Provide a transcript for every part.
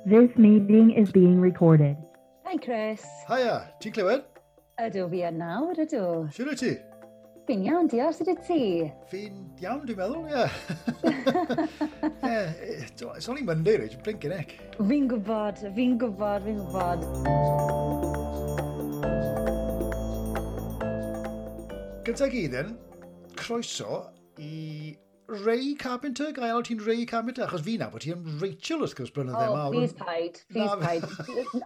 This meeting is being recorded. Hi Chris. Hiya, ti'n clywed? Ydw, fi yn nawr, ydw. Siwr wyt ti? Fi'n iawn, diolch, sut wyt ti? Fi'n iawn, dwi'n meddwl, ie. Yeah. It's only Monday, Rach, blinking heck. Fi'n gwybod, fi'n gwybod, fi'n gwybod. Gyntaf gyd then, croeso i Ray Carpenter, ga i alw ti'n Ray Carpenter? Achos fi nabod ti am Rachel wrth gwrs blynydde oh, mawr. Please paid, please paid.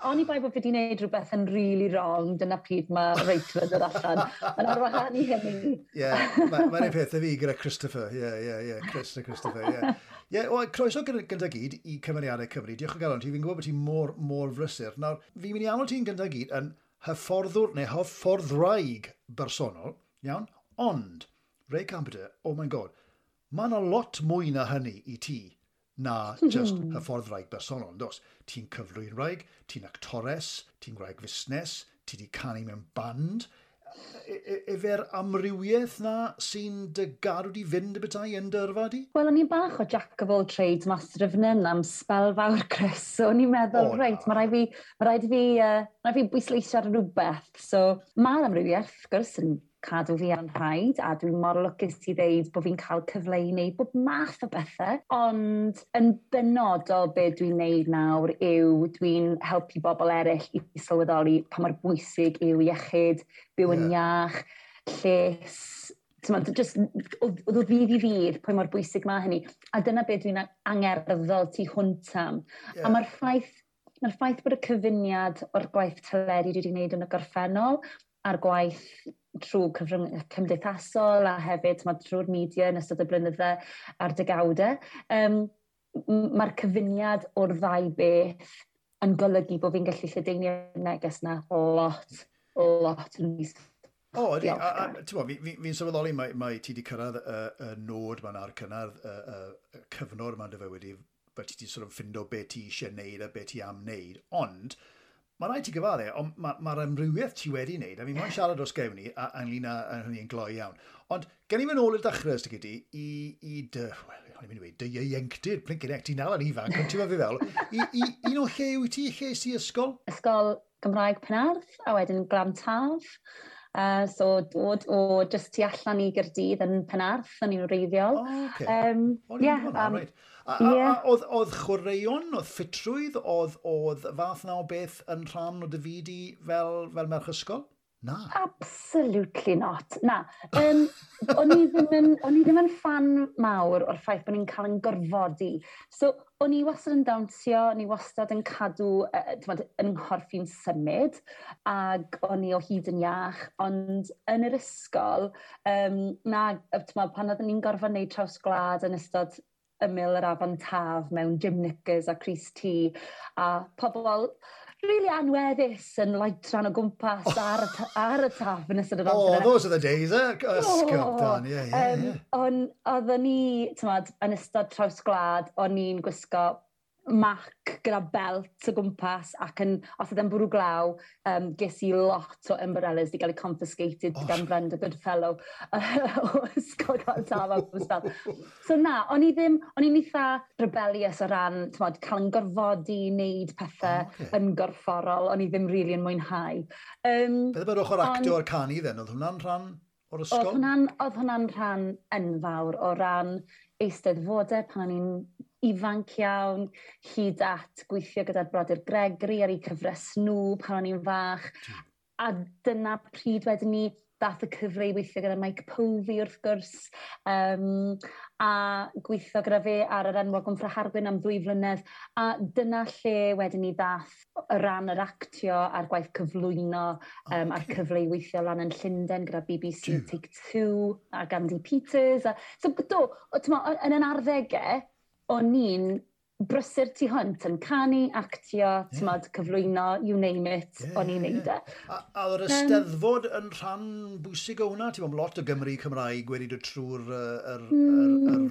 Oni bai bod fi wedi gwneud rhywbeth yn really wrong, dyna pryd mae Rachel yn dod allan. Ond ar wahân i hynny. Ie, mae'n un peth fi gyda Christopher. Ie, ie, ie, Chris a Christopher, ie. Ie, croeso gyda gyd i Cymeriadau Cymru. Diolch o galon ti, fi'n gwybod bod ti'n mor, mor frysur. Nawr, fi'n mynd i alw ti'n gyda gyd yn hyfforddwr neu hyfforddwraig bersonol, iawn? Ond, Ray Carpenter, oh my god, mae yna lot mwy na hynny i ti na just hyfforddwraig bersonol, does? Ti'n cyflwynwraig, ti'n actores, ti'n gwraig fusnes, ti di canu mewn band. Efe'r amrywiaeth na sy'n dy gadw di fynd y bethau yn dy yrfa di? Wel, o'n i'n bach o jack of all trades, master of none am sbel fawr, Chris. So, o'n i'n meddwl, reit, mae rhaid i fi bwysleisio ar rhywbeth. So, mae'r amrywiaeth, wrth gwrs, yn cadw fi ar rhaid, a dwi'n mor lwcus i ddeud bod fi'n cael cyfle i wneud bob math o bethau. Ond yn benodol be dwi'n wneud nawr yw dwi'n helpu bobl eraill i sylweddoli pa mor bwysig yw iechyd, byw yn iach, lles, just o ddydd i ddydd, pwy mor bwysig mae hynny. A dyna be dwi'n angerddol tu hwnt am. Yeah. A mae'r ffaith bod y cyfuniad o'r gwaith teledu dwi wedi gwneud yn y gorffennol a'r gwaith trwy cyfrwng cymdeithasol a hefyd trwy'r media yn ystod y blynydde a'r degawdau. Mae'r cyfuniad o'r ddau beth yn golygu bod fi'n gallu lledaenu'r neges na lot, lot yn mis. O, ydy. Fi'n sylweddoli mae ti wedi cyrraedd y nod ma'n ar cynnar, y cyfnod ma'n dy fywyd i, fel ti wedi sort of ffindo be ti eisiau neud a be ti am neud, ond mae rhaid ti gyfadde, ond mae'r amrywiaeth ti wedi wneud, a fi moyn siarad os gewn ni, a ynglyn â hynny yn gloi iawn. Ond gen i fynd ôl i'r dechrau, os ti i dy, wel, o'n i'n mynd i weud, dy ieuenctid, blinking heck, ti'n dal yn ifanc, ond ti'n fi fel, i un o lle wyt ti, lle si ysgol? Ysgol Gymraeg Penarth, a wedyn Glan Taf. So dod o just tu allan i Gaerdydd yn Penarth, yn i'n wreiddiol. Oh, okay. Right. Oedd chwaraeon, oedd ffitrwydd, oedd fath na o beth yn rhan o dy fyd i fel merch ysgol? Na. Absolutely not. Na. O'n i ddim yn ffan mawr o'r ffaith bod ni'n cael yn gorfodi. So, o'n i wastad yn dawnsio, o'n i wastad yn cadw, yn nghorff i'n symud, ac o'n i o hyd yn iach, ond yn yr ysgol, pan oeddwn ni'n gorfod wneud traws gwlad yn ystod ymyl yr afon Taf mewn gym knickers a crys T, a pobl really anweddus yn laetran o gwmpas ar y Taf yn ystod yr amser. Oh, those are the days, eh? Ysgol, Dan, ie. Ond oeddwn ni, t'mod, yn ystod traws gwlad, o'n i'n gwisgo mac gyda belt o gwmpas ac yn, os oedd e'n bwrw glaw, ges i lot o umbrellas di gael eu confiscated gan Brenda Goodfellow o Ysgol Glan Taf am sbel. So na, o'n i'n eitha rebellious o ran, t'mod, cael yn gorfodi i wneud pethau yn gorfforol, o'n i ddim really yn mwynhau. Beth am yr ochr actio a'r canu then? Oedd hwnna'n rhan o'r ysgol? Oedd hwnna'n rhan enfawr o ran eisteddfodau pan o'n i'n ifanc iawn, hyd at gweithio gyda'r brodyr Gregory ar eu cyfres nhw pan o'n i'n fach. A dyna pryd wedyn ni dath y cyfle i weithio gyda Mike Povey wrth gwrs, a gweithio gyda fe ar yr enwog Wmffra Harwyn am 2 flynedd. A dyna lle wedyn ni dath o ran yr actio a'r gwaith cyflwyno, a'r cyfle i weithio lan yn Llundain gyda BBC Take Two a Andy Peters. So, do, yn yn arddegau, o'n i'n brysur tu hwnt yn canu, actio, t'mod, cyflwyno, you name it, o'n i'n neud e. A oedd yr Eisteddfod yn rhan bwysig o hwnna? Ti'n bod lot o Gymry Cymraeg wedi dod trwy'r yr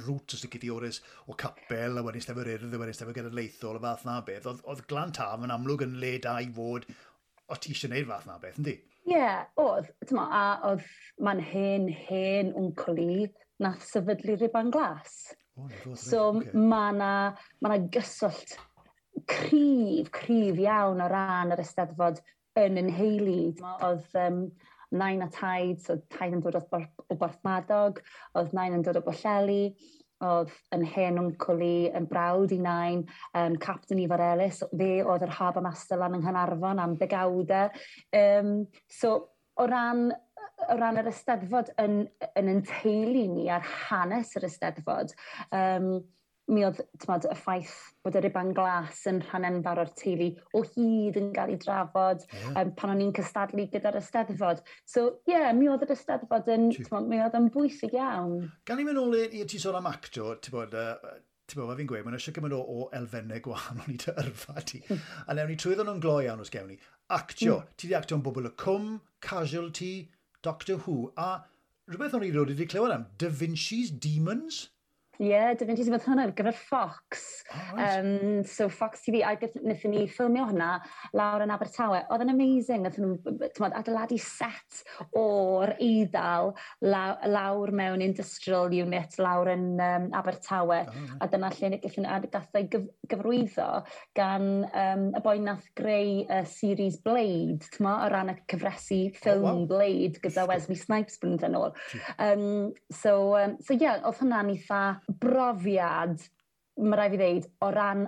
route os ti Oris o capel, a wedyn Eisteddfod Urdd, a wedyn Eisteddfod Genedlaethol, y fath na beth. Oedd Glan Taf yn amlwg yn le da i fod, o ti eisiau neud fath na beth, yndi? Ie, oedd. T'mo, a oedd, mae'n hen wncl i, nath sefydlu Rhuban Glas. Oh, so okay. Mae yna ma gyswllt cryf, cryf iawn o ran yr Eisteddfod yn yn nheulu. Oedd nain a taid, so taid yn dod o Borthmadog, oedd nain yn dod o Bwllheli, oedd yn hen wncwl i yn brawd i nain, Captain Ifor Ellis, fe oedd yr Harbour Master lan yng Nghaernarfon am ddegawdau. So, o ran yr Eisteddfod yn teulu ni a'r hanes yr Eisteddfod, mi oedd, t'mod, y ffaith bod y Ruban Glas yn rhan enfawr o'r teulu o hyd yn cael ei drafod pan o'n i'n cystadlu gyda'r Eisteddfod. So, ie, yeah, mi oedd yr Eisteddfod yn, t'mod, mi oedd yn bwysig iawn. Gan i mynd ôl i ti sôn am acto, ti'n bod, ti'n bod, fi'n gweud, mae'n eisiau gymaint o elfennau gwahanol i dy yrfa ti. A newn ni trwyddo nhw'n gloi iawn os gewn ni. Actio, ti di actio yn Bobol y Cwm, Casualty, Doctor Who, a rhywbeth o'n i rioed wedi clywed am, Da Vinci's Demons? Ie, yeah, Da Vinci's Demons, hwnna ar gyfer Fox. Oh, right. So Fox TV, a wnaethon ni ffilmio hwnna lawr yn Abertawe. Oedd yn amazing, wnaethon nhw, t'mod, adeiladu set o'r Eidal lawr mewn industrial unit lawr yn Abertawe. Oh, right. A dyna lle wnaethon a gath ei gyfarwyddo gan y boi nath greu y series Blade, t'mo, o ran y cyfresi ffilm. Oh, wow. Blade gyda Wesley Snipes blynyddoedd yn ôl. So yeah, oedd hwnna'n eitha brofiad, mae rhaid fi ddeud, o ran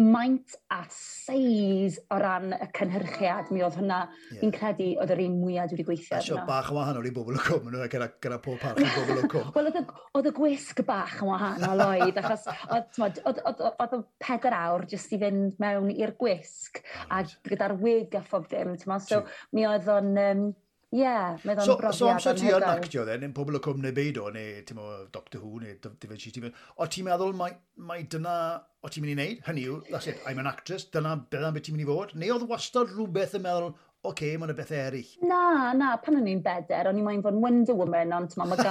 maint a seis o ran y cynhyrchiad, mi oedd hwnna, fi'n credu, oedd yr un mwyaf dwi wedi gweithio A sio arno. Bach yn wahanol i Bobol y Cwm, nhw, gyda pob parch i Bobol y Cwm. Wel, oedd y gwisg bach yn wahanol oedd, achos oedd, t'mod, oedd o 4 awr jyst i fynd mewn i'r gwisg, a gyda'r wig a phob dim, t'mod, so mi oedd o'n, ie, mi oedd o'n brofiad So amser ti yn anhygoel. actio then, yn Pobol y Cwm neu beido, neu ti'n mo, Doctor Who, neu Da Vinci Demons, o ti'n meddwl mai dyna o ti'n mynd i wneud? Hynny yw, that's it, I'm an actress, dyna beth ti'n mynd i fod? Neu oedd wastad rhywbeth yn meddwl, oce, okay, mae'n y bethau eraill? Na, pan o'n i'n 4, o'n i'n moyn fod yn Wonder Woman, ond t'mo, mae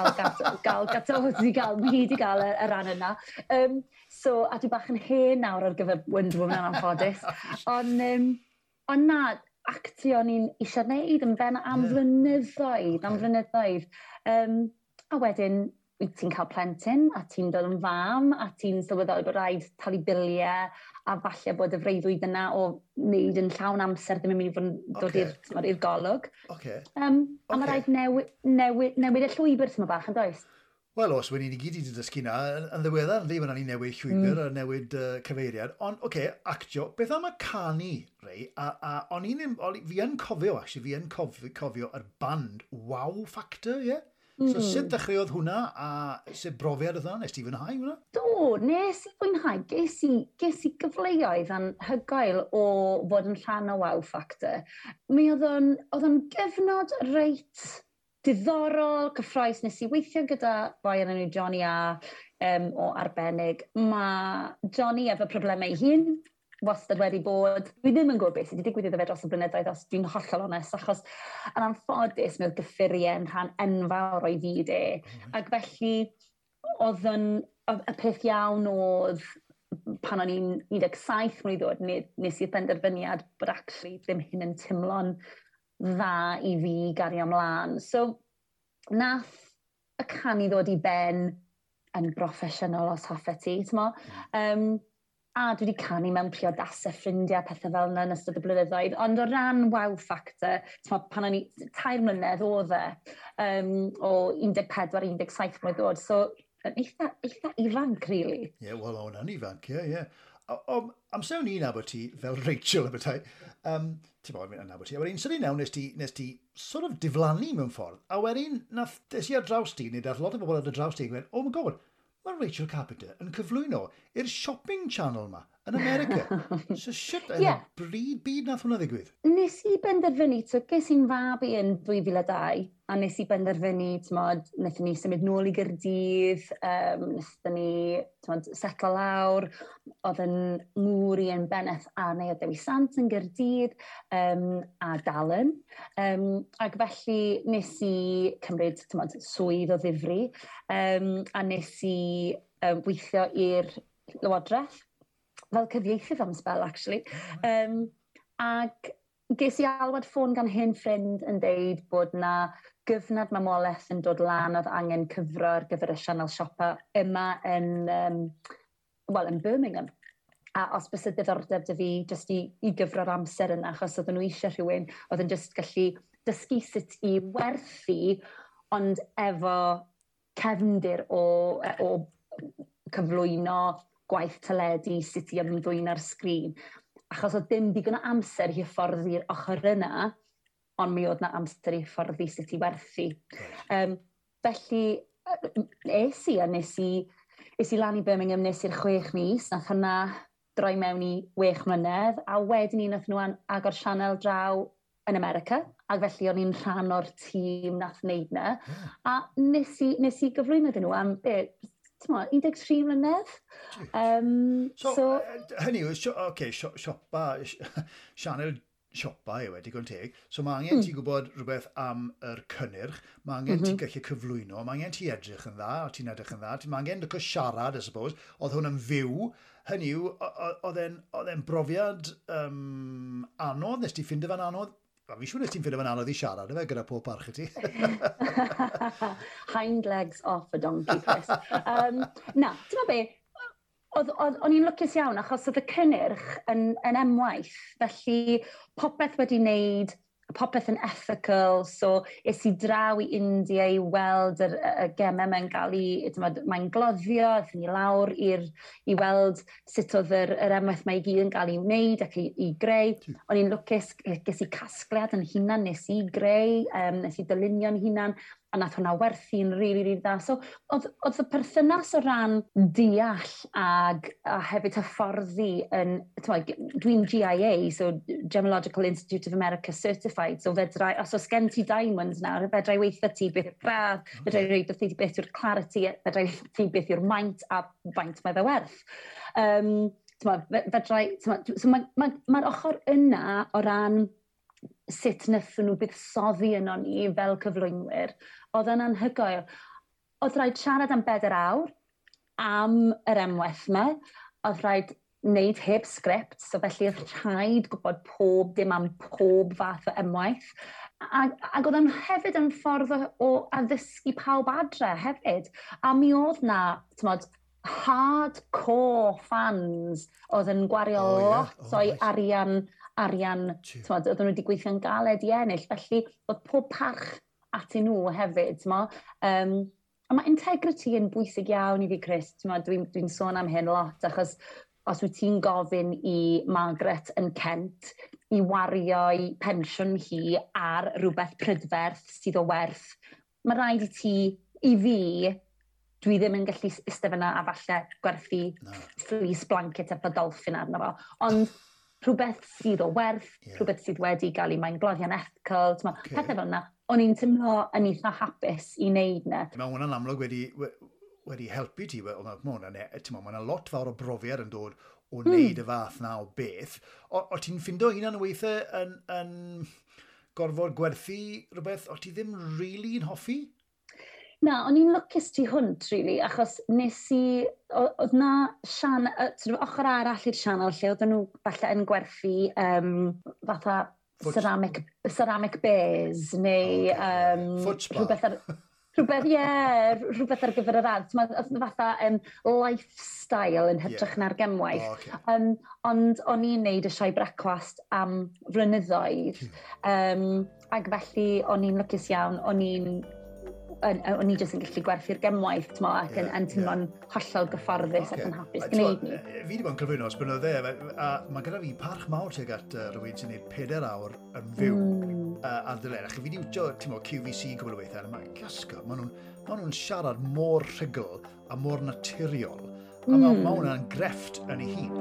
Gal Gadot wedi gael, mae hi wedi gael y rhan yna. So, a dwi bach yn hen nawr ar gyfer Wonder Woman yn anffodus. Ond na, actio o'n i'n eisiau gwneud yn ben am flynyddoedd, am flynyddoedd. A wedyn, wyt ti'n cael plentyn, a ti'n dod yn fam, a ti'n sylweddoli bod rhaid talu biliau, a falle bod y freuddwyd yna o wneud yn llawn amser ddim yn mynd i fod yn dod i'r, t'mod, i'r golwg. A mae rhaid newid y llwybr tyma bach, yn does? Wel, os wedi ni gyd wedi dysgu na, yn ddiweddar, yndi, mae'n ni newid llwybr a newid cyfeiriad. Ond, oce, okay, actio, beth am y canu, Ray? A o'n i'n, fi yn cofio, actually, fi yn cofio yr band Wow Factor, ie? Yeah? So, sut dechreuodd hwnna, a sut brofiad oedd hwnna? Nes ti fwynhau hwnna? Do, nes i fwynhau. Ges i gyfleoedd anhygoel o fod yn rhan o Wow Factor. Mi oedd o'n gyfnod reit diddorol, cyffrous. Nes i weithio gyda boi yn enw Johnny A o arbennig. Mae Johnny efo problemau ei hun, wastad wedi bod. Dwi ddim yn gwybod beth sydd wedi digwydd iddo fe dros y blynyddoedd, os dwi'n hollol onest, achos yn anffodus mi oedd gyffuriau yn rhan enfawr o'i fyd e. Ac felly, oedd y peth iawn oedd pan o'n i'n 17 mlwydd oed, nes i'r benderfyniad bod actually ddim hyn yn teimlo'n dda i fi gario ymlaen. So, nath y canu ddod i ben yn broffesiynol os hoffet ti, t'mo? A dwi wedi canu mewn priodasau ffrindiau, pethau fel yna yn ystod y blynyddoedd. Ond o ran Wow Factor, t'mo, pan o'n i 3 mlynedd oedd e, o 14 i 17 mlynedd oed. So, yn eitha ifanc, really. Ie, yeah, wel, o'n ifanc, ie, ie. Amser o'n i'n nabod ti fel Rachel y bethau, ti'n bod, yn nabod ti, a wedyn sydyn iawn nes ti sort of diflannu mewn ffordd, a wedyn nath, des i ar draws ti, neu dath lot o bobl ar dy draws ti, yn gweud, "Oh my God, mae Rachel Carpenter yn cyflwyno i'r shopping channel ma yn America." So shit, yn y bryd byd nath hwnna ddigwydd? Nes i benderfynu, so ges i'n fab i yn 2002, a nes i benderfynu, t'mod, wnaethon ni symud nôl i Gaerdydd, wnaethon ni, t'mod, setlo lawr, oedd yn ngŵr i yn bennaeth ar Neuadd Dewi Sant yn Gaerdydd, a Dalen. Ac felly nes i cymryd, t'mod, swydd o ddifri, a nes i weithio i'r Lywodraeth, fel cyfieithydd am sbel, actually. Ac Ges i alwad ffôn gan hen ffrind yn deud bod na gyfnod mamolaeth yn dod lan oedd angen cyfro ar gyfer y sianel siopa yma yn Birmingham. A os bys y diddordeb 'da fi jyst i gyfro'r amser yna, achos oedden nhw eisiau rhywun oedd yn jyst gallu dysgu sut i werthu, ond efo cefndir o cyflwyno gwaith teledu, sut i ymddwyn ar sgrin. Achos oedd dim digon o amser i hyfforddi'r ochr yna, ond mi oedd na amser i hyfforddi sut i werthu. Felly, es i a es i lan i Birmingham, nes i'r 6 mis, nath hwnna droi mewn i 6 mlynedd, a wedyn ni nath nhw agor sianel draw yn America, ac felly o'n i'n rhan o'r tîm nath wneud na. A nes i gyflwyno iddyn nhw am, be, t'mo, 13 mlynedd. So, hynny yw, okay, siopa, sianel siopa yw e, digon teg. So mae angen ti gwybod rhywbeth am yr cynnyrch, mae angen ti gallu cyflwyno, mae angen ti edrych yn dda, o ti'n edrych yn dda, mae angen licio siarad, I suppose. Oedd hwn yn fyw. Hynny yw, oedd e'n brofiad anodd, nes ti ffindo fe'n anodd? Wel, fi siŵr nes ti'n ffindo fe'n anodd i siarad, efe, gyda pob parch i ti. Hind legs off a donkey, Chris. Na, ti'n be, o'n i'n lwcus iawn achos oedd y cynnyrch yn emwaith, felly popeth wedi wneud, popeth yn ethical, so es i draw i India i weld y gemau mae'n gael ei, t'mod, mae'n gloddio, aethon ni lawr i weld sut oedd yr emwaith mae i gyd yn gael ei wneud ac i greu. O'n i'n lwcus, ges i casgliad yn hunan, nes i greu, nes i dylunio'n hunan, a nath hwnna werthu'n rili, rili dda. So, oedd y perthynas o ran deall a hefyd hyfforddi yn, t'mod, dwi'n GIA, so Gemological Institute of America Certified, so fedrai, os oes gen ti diamonds nawr, fedrai weithio ti beth yw'r gradd, fedrai weithio ti beth yw'r clarity, fedrai weithio ti beth yw'r maint a faint mae fe werth. T'mod, fedrai, t'mod, so mae'r ma ochr yna o ran sut wnaethon nhw buddsoddi yno ni fel cyflwynwyr, oedd yn anhygoel. Oedd rhaid siarad am 4 awr am yr emwaith yma, oedd rhaid wneud heb sgript, so felly oedd rhaid gwybod pob dim am pob fath o emwaith. Ac oedd yn hefyd yn ffordd o addysgu pawb adre hefyd. A mi oedd na, t'mod, hardcore fans oedd yn gwario lot o'i arian, t'mod, oedden nhw wedi gweithio'n galed i ennill, felly oedd pob parch atyn nhw hefyd, t'mo. A mae integrity yn bwysig iawn i fi, Chris, t'mo, dwi sôn am hyn lot, achos os wyt ti'n gofyn i Margaret yn Kent i wario'i pensiwn hi ar rhywbeth prydferth sydd o werth, mae rhaid i ti, i fi, dwi ddim yn gallu eistedd fyna a falle gwerthu Na. fleece blanket efo dolphin arno fo. Ond rhywbeth sydd o werth, rhywbeth sydd wedi gael ei maengloddio'n ethical, t'mo, pethau fel yna, o'n i'n teimlo yn eitha hapus i wneud na. Mae hwnna'n amlwg wedi helpu ti, mae hwnna'n lot fawr o brofiad yn dod o wneud y fath na o beth. O ti'n ffindo hunan weithiau yn gorfod gwerthu rhywbeth o ti ddim really yn hoffi? Na, o'n i'n lwcus tu hwnt, really, achos nes i, oedd na sian, sort of ochr arall i'r sianel lle oedden nhw falle yn gwerthu fatha ceramic bears neu Foot spa. Rhywbeth ar gyfer yr ardd. T'mod, oedd fatha lifestyle yn hytrach na'r gemwaith. O, ocê. Ond o'n i'n neud y sioe brecwast am flynyddoedd. Ac felly o'n i'n lwcus iawn, o'n i jyst yn gallu gwerthu'r gemwaith, t'mo, ac yn teimlo'n hollol gyfforddus ac yn hapus A gwneud t'mod, ni. Fi wedi bod yn cyflwyno ers blynydde, a mae gyda fi parch mawr tuag at rhywun sy'n gwneud 4 awr yn fyw ar deledu. Ac fi wedi wtio, ti'n mo, QVC cwbl o weithiau, a mae gasgo, ma nhw'n siarad mor rhugl a mor naturiol. A ma hwnna'n grefft yn ei hun.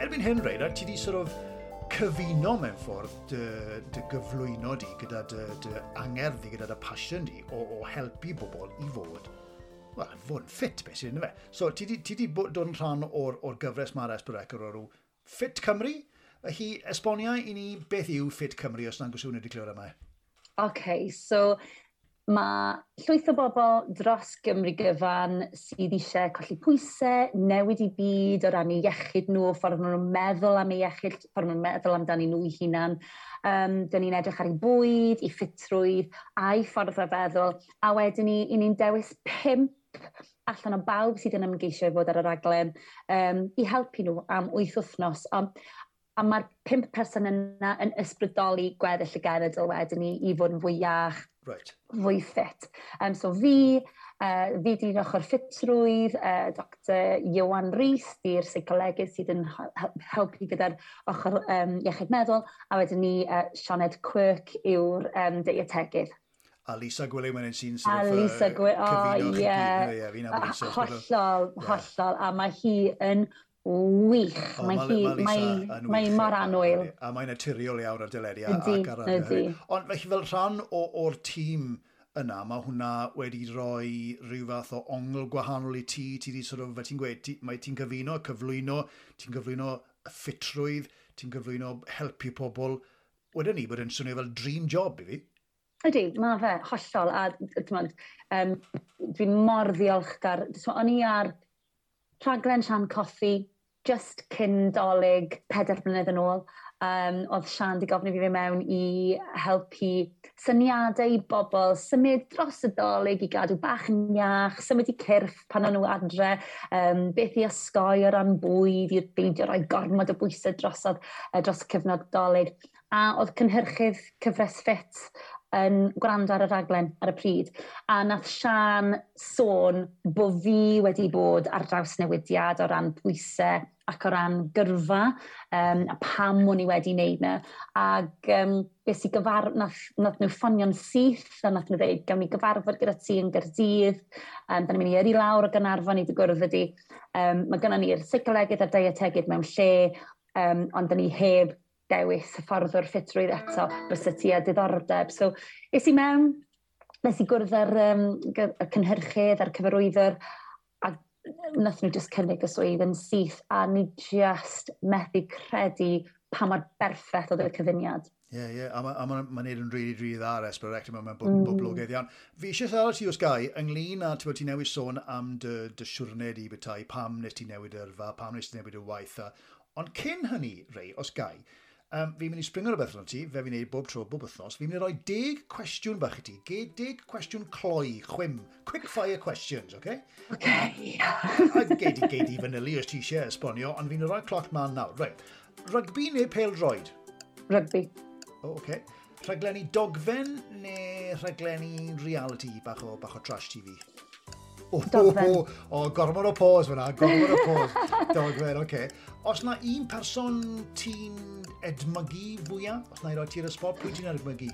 Erbyn hyn, Reina, ti di sort of cyfuno mewn ffordd dy gyflwyno di gyda dy angerdd di, gyda dy passion di o helpu bobl i fod Wel, fod yn ffit, beth sy'n fe. So, ti di dod yn rhan o'r gyfres mae'r S4C o'r enw Ffit Cymru. Felly, esbonia i ni beth yw Ffit Cymru os na'n gwswn wedi clywed yma. OK, so mae llwyth o bobl dros Gymru gyfan sydd eisiau colli pwysau, newid i byd o ran eu iechyd nhw, ffordd maen nhw'n meddwl am eu iechyd, ffordd maen nhw'n meddwl amdani nhw eu hunan. Dyn ni'n edrych ar eu bwyd, eu ffitrwydd, a'i ffordd o feddwl. A wedyn ni, i ni'n dewis 5 allan o bawb sydd yn ymgeisio i fod ar y raglen i helpu nhw am 8 wythnos. A mae'r 5 person yna yn ysbrydoli gweddill y genedl wedyn ni i fod yn fwy iach, right. Fwy ffit. So fi di'n ochr ffitrwydd, Dr Iwan Rhys, di'r seicolegydd sydd yn helpu gyda'r ochr iechyd meddwl, a wedyn ni Sioned Quirk yw'r deietegydd. A Lisa Gwilym yn sy'n sort of, Lisa Gwilym, o ie. Hollol, hollol, a mae hi yn wych. Oh, mae hi mor annwyl. A mae'n naturiol iawn ar deledu. Ydy. Ond felly fel rhan o'r tîm yna, mae hwnna wedi rhoi rhyw fath o ongl gwahanol i ti. Ti di sort of, fel ti'n gweud, mae ti'n cyfuno, cyflwyno, ti'n cyflwyno ffitrwydd, ti'n cyflwyno helpu pobl. Wedyn ni bod yn swnio fel dream job i fi. Ydy, mae fe, hollol. A dwi'n mor ddiolchgar. O'n i ar rhaglen Sian Cothi, just cyn Dolig, 4 blynedd yn ôl. Oedd Sian di gofyn i fi fynd mewn i helpu syniadau i bobl, symud dros y Dolig i gadw bach yn iach, symud i cyrff pan o'n nhw adre, beth i osgoi o ran bwyd, i beidio rhoi gormod o bwysau drosodd, dros y cyfnod Dolig. A oedd cynhyrchydd cyfres Ffit yn gwrando ar y raglen ar y pryd. A nath Sian sôn bo fi wedi bod ar draws newidiad o ran pwysau ac o ran gyrfa, a pam o'n i wedi wneud na. Ac ges i nath nhw ffonio'n syth, a nath nhw dweud, gawn ni gyfarfod gyda ti yn Gaerdydd, da ni'n mynd i yrru lawr o Gaernarfon i dy gwrdd ydi. Mae gynnon ni'r seicolegydd a'r deietegydd mewn lle, ond da ni heb dewis hyfforddwr ffitrwydd eto, bysa ti a diddordeb. So, es i mewn, nes i gwrdd â'r y cynhyrchydd a'r cyfarwyddwr, a nath nhw just cynnig y swydd yn syth, a ni just methu credu pa mor berffaith oedd y cyfuniad. Ie, ie, a mae'n neud yn rili, rili dda ar S4C, mae'n boblogaidd iawn. Fi eisiau siarad ti os gai, ynglyn â, ti newydd sôn am dy siwrne di bethau, pam nes ti newid yrfa, pam nes ti newid y waith. Ond cyn hynny, Ray, os gai, fi'n mynd i springo rhywbeth arno ti, fe fi'n neud bob tro, bob wythnos, fi'n mynd i roi 10 cwestiwn bach i ti, 10 cwestiwn cloi, chwim, quick fire questions, oce? Oce. A gei di fanylu os ti eisiau esbonio, ond fi'n rhoi cloc man nawr. Right. Rygbi neu pêl-droed? Rygbi. O, oce. Rhaglenni dogfen neu rhaglenni reality bach o trash TV? Dogfen. O, gormod o pause fyna, gormod o pause. Dogfen, oce. Os na un person ti'n edmygu fwyaf? Os na i roi ti ar y spot, pwy ti'n edmygu?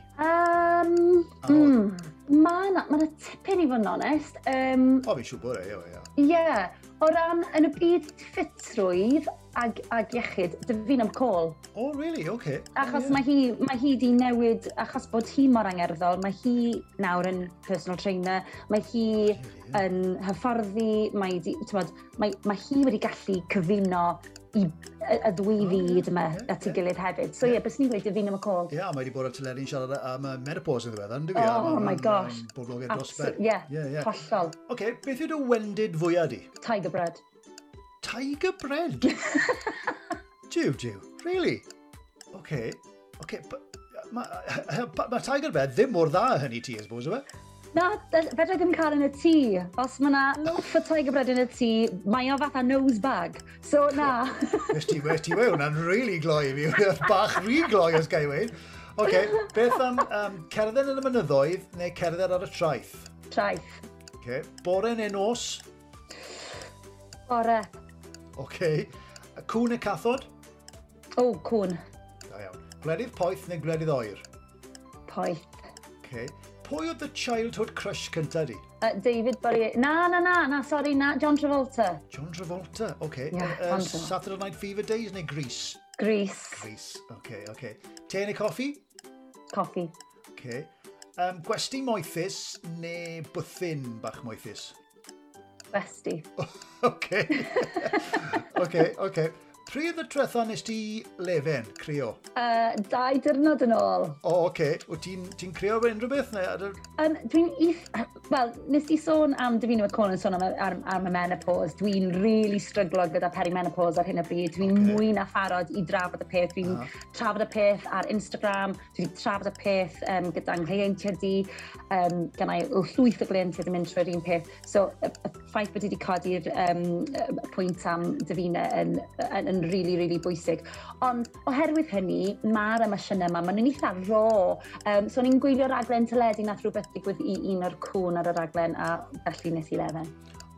Mae yna tipyn i fod yn onest. O, fi'n siŵr bod e, ie. Ie, o ran yn y byd ffitrwydd ag iechyd, Davina McCall. Oh, really? Okay. Achos mae hi di newid, achos bod hi mor angerddol, mae hi nawr yn personal trainer, mae hi yn hyfforddi, mae hi wedi gallu cyfuno i y ddwy fyd yma at ei gilydd hefyd. So ie, bys ni'n gweud Davina McCall. Ie, mae wedi bod ar teledu'n siarad am menopause yn ddiweddar, ynddo fi? Oh my gosh. Boblogaidd dros ben. Ie, hollol. Oce, beth yw dy wendid fwyaf di? Tiger bread. Tiger bread? Jiw, really? Oce, mae tiger bread ddim mor dda hynny ti, I suppose, yw e? Na, fedra i ddim cael yn y tŷ. Os mae yna loaf o tiger bread yn y tŷ, mae o fatha nose bag. So, na. Wes ti we, hwnna'n really gloi i fi. Bach rhy gloi, os gai weud. Oce, beth am cerdded yn y mynyddoedd neu cerdded ar y traeth? Traeth. Oce, bore neu nos? Bore. Oce. Cŵn neu cathod? O, cŵn. Da iawn. Gwledydd poeth neu gwledydd oer? Poeth. Oce. Pwy oedd the childhood crush cyntaf di? David Bowie. Na, sorry, na. John Travolta. John Travolta, oce. Yeah, John Travolta. Saturday Night Fever Days neu Grease? Grease. Grease, oce. Te neu coffi? Coffi. Oce. Gwesty moethus neu bwthyn bach moethus? Gwesti. Oce. Pryd y tretha nes ti lefen, crio? 2 diwrnod yn ôl. O, oce. Wyt ti'n ti crio fe unrhyw beth? Neu? Wel, nes ti sôn am Davina McCall yn sôn am y menopause. Dwi'n really stryglo gyda perimenopause ar hyn o bryd. Dwi'n mwy na pharod i drafod y peth. Dwi'n trafod y peth ar Instagram. Dwi'n trafod y peth gyda'n nghleientiaid i. Gennai llwyth o gleientiaid yn mynd trwy'r un peth. So, y ffaith bod i wedi codi'r pwynt am Davina yn really, really bwysig. Ond oherwydd hynny, mae'r emosiynau yma, maen nhw'n eitha raw. So o'n i'n gwylio raglen teledu, nath rhywbeth digwydd i un o'r cwn ar y raglen, a felly nes i lefen.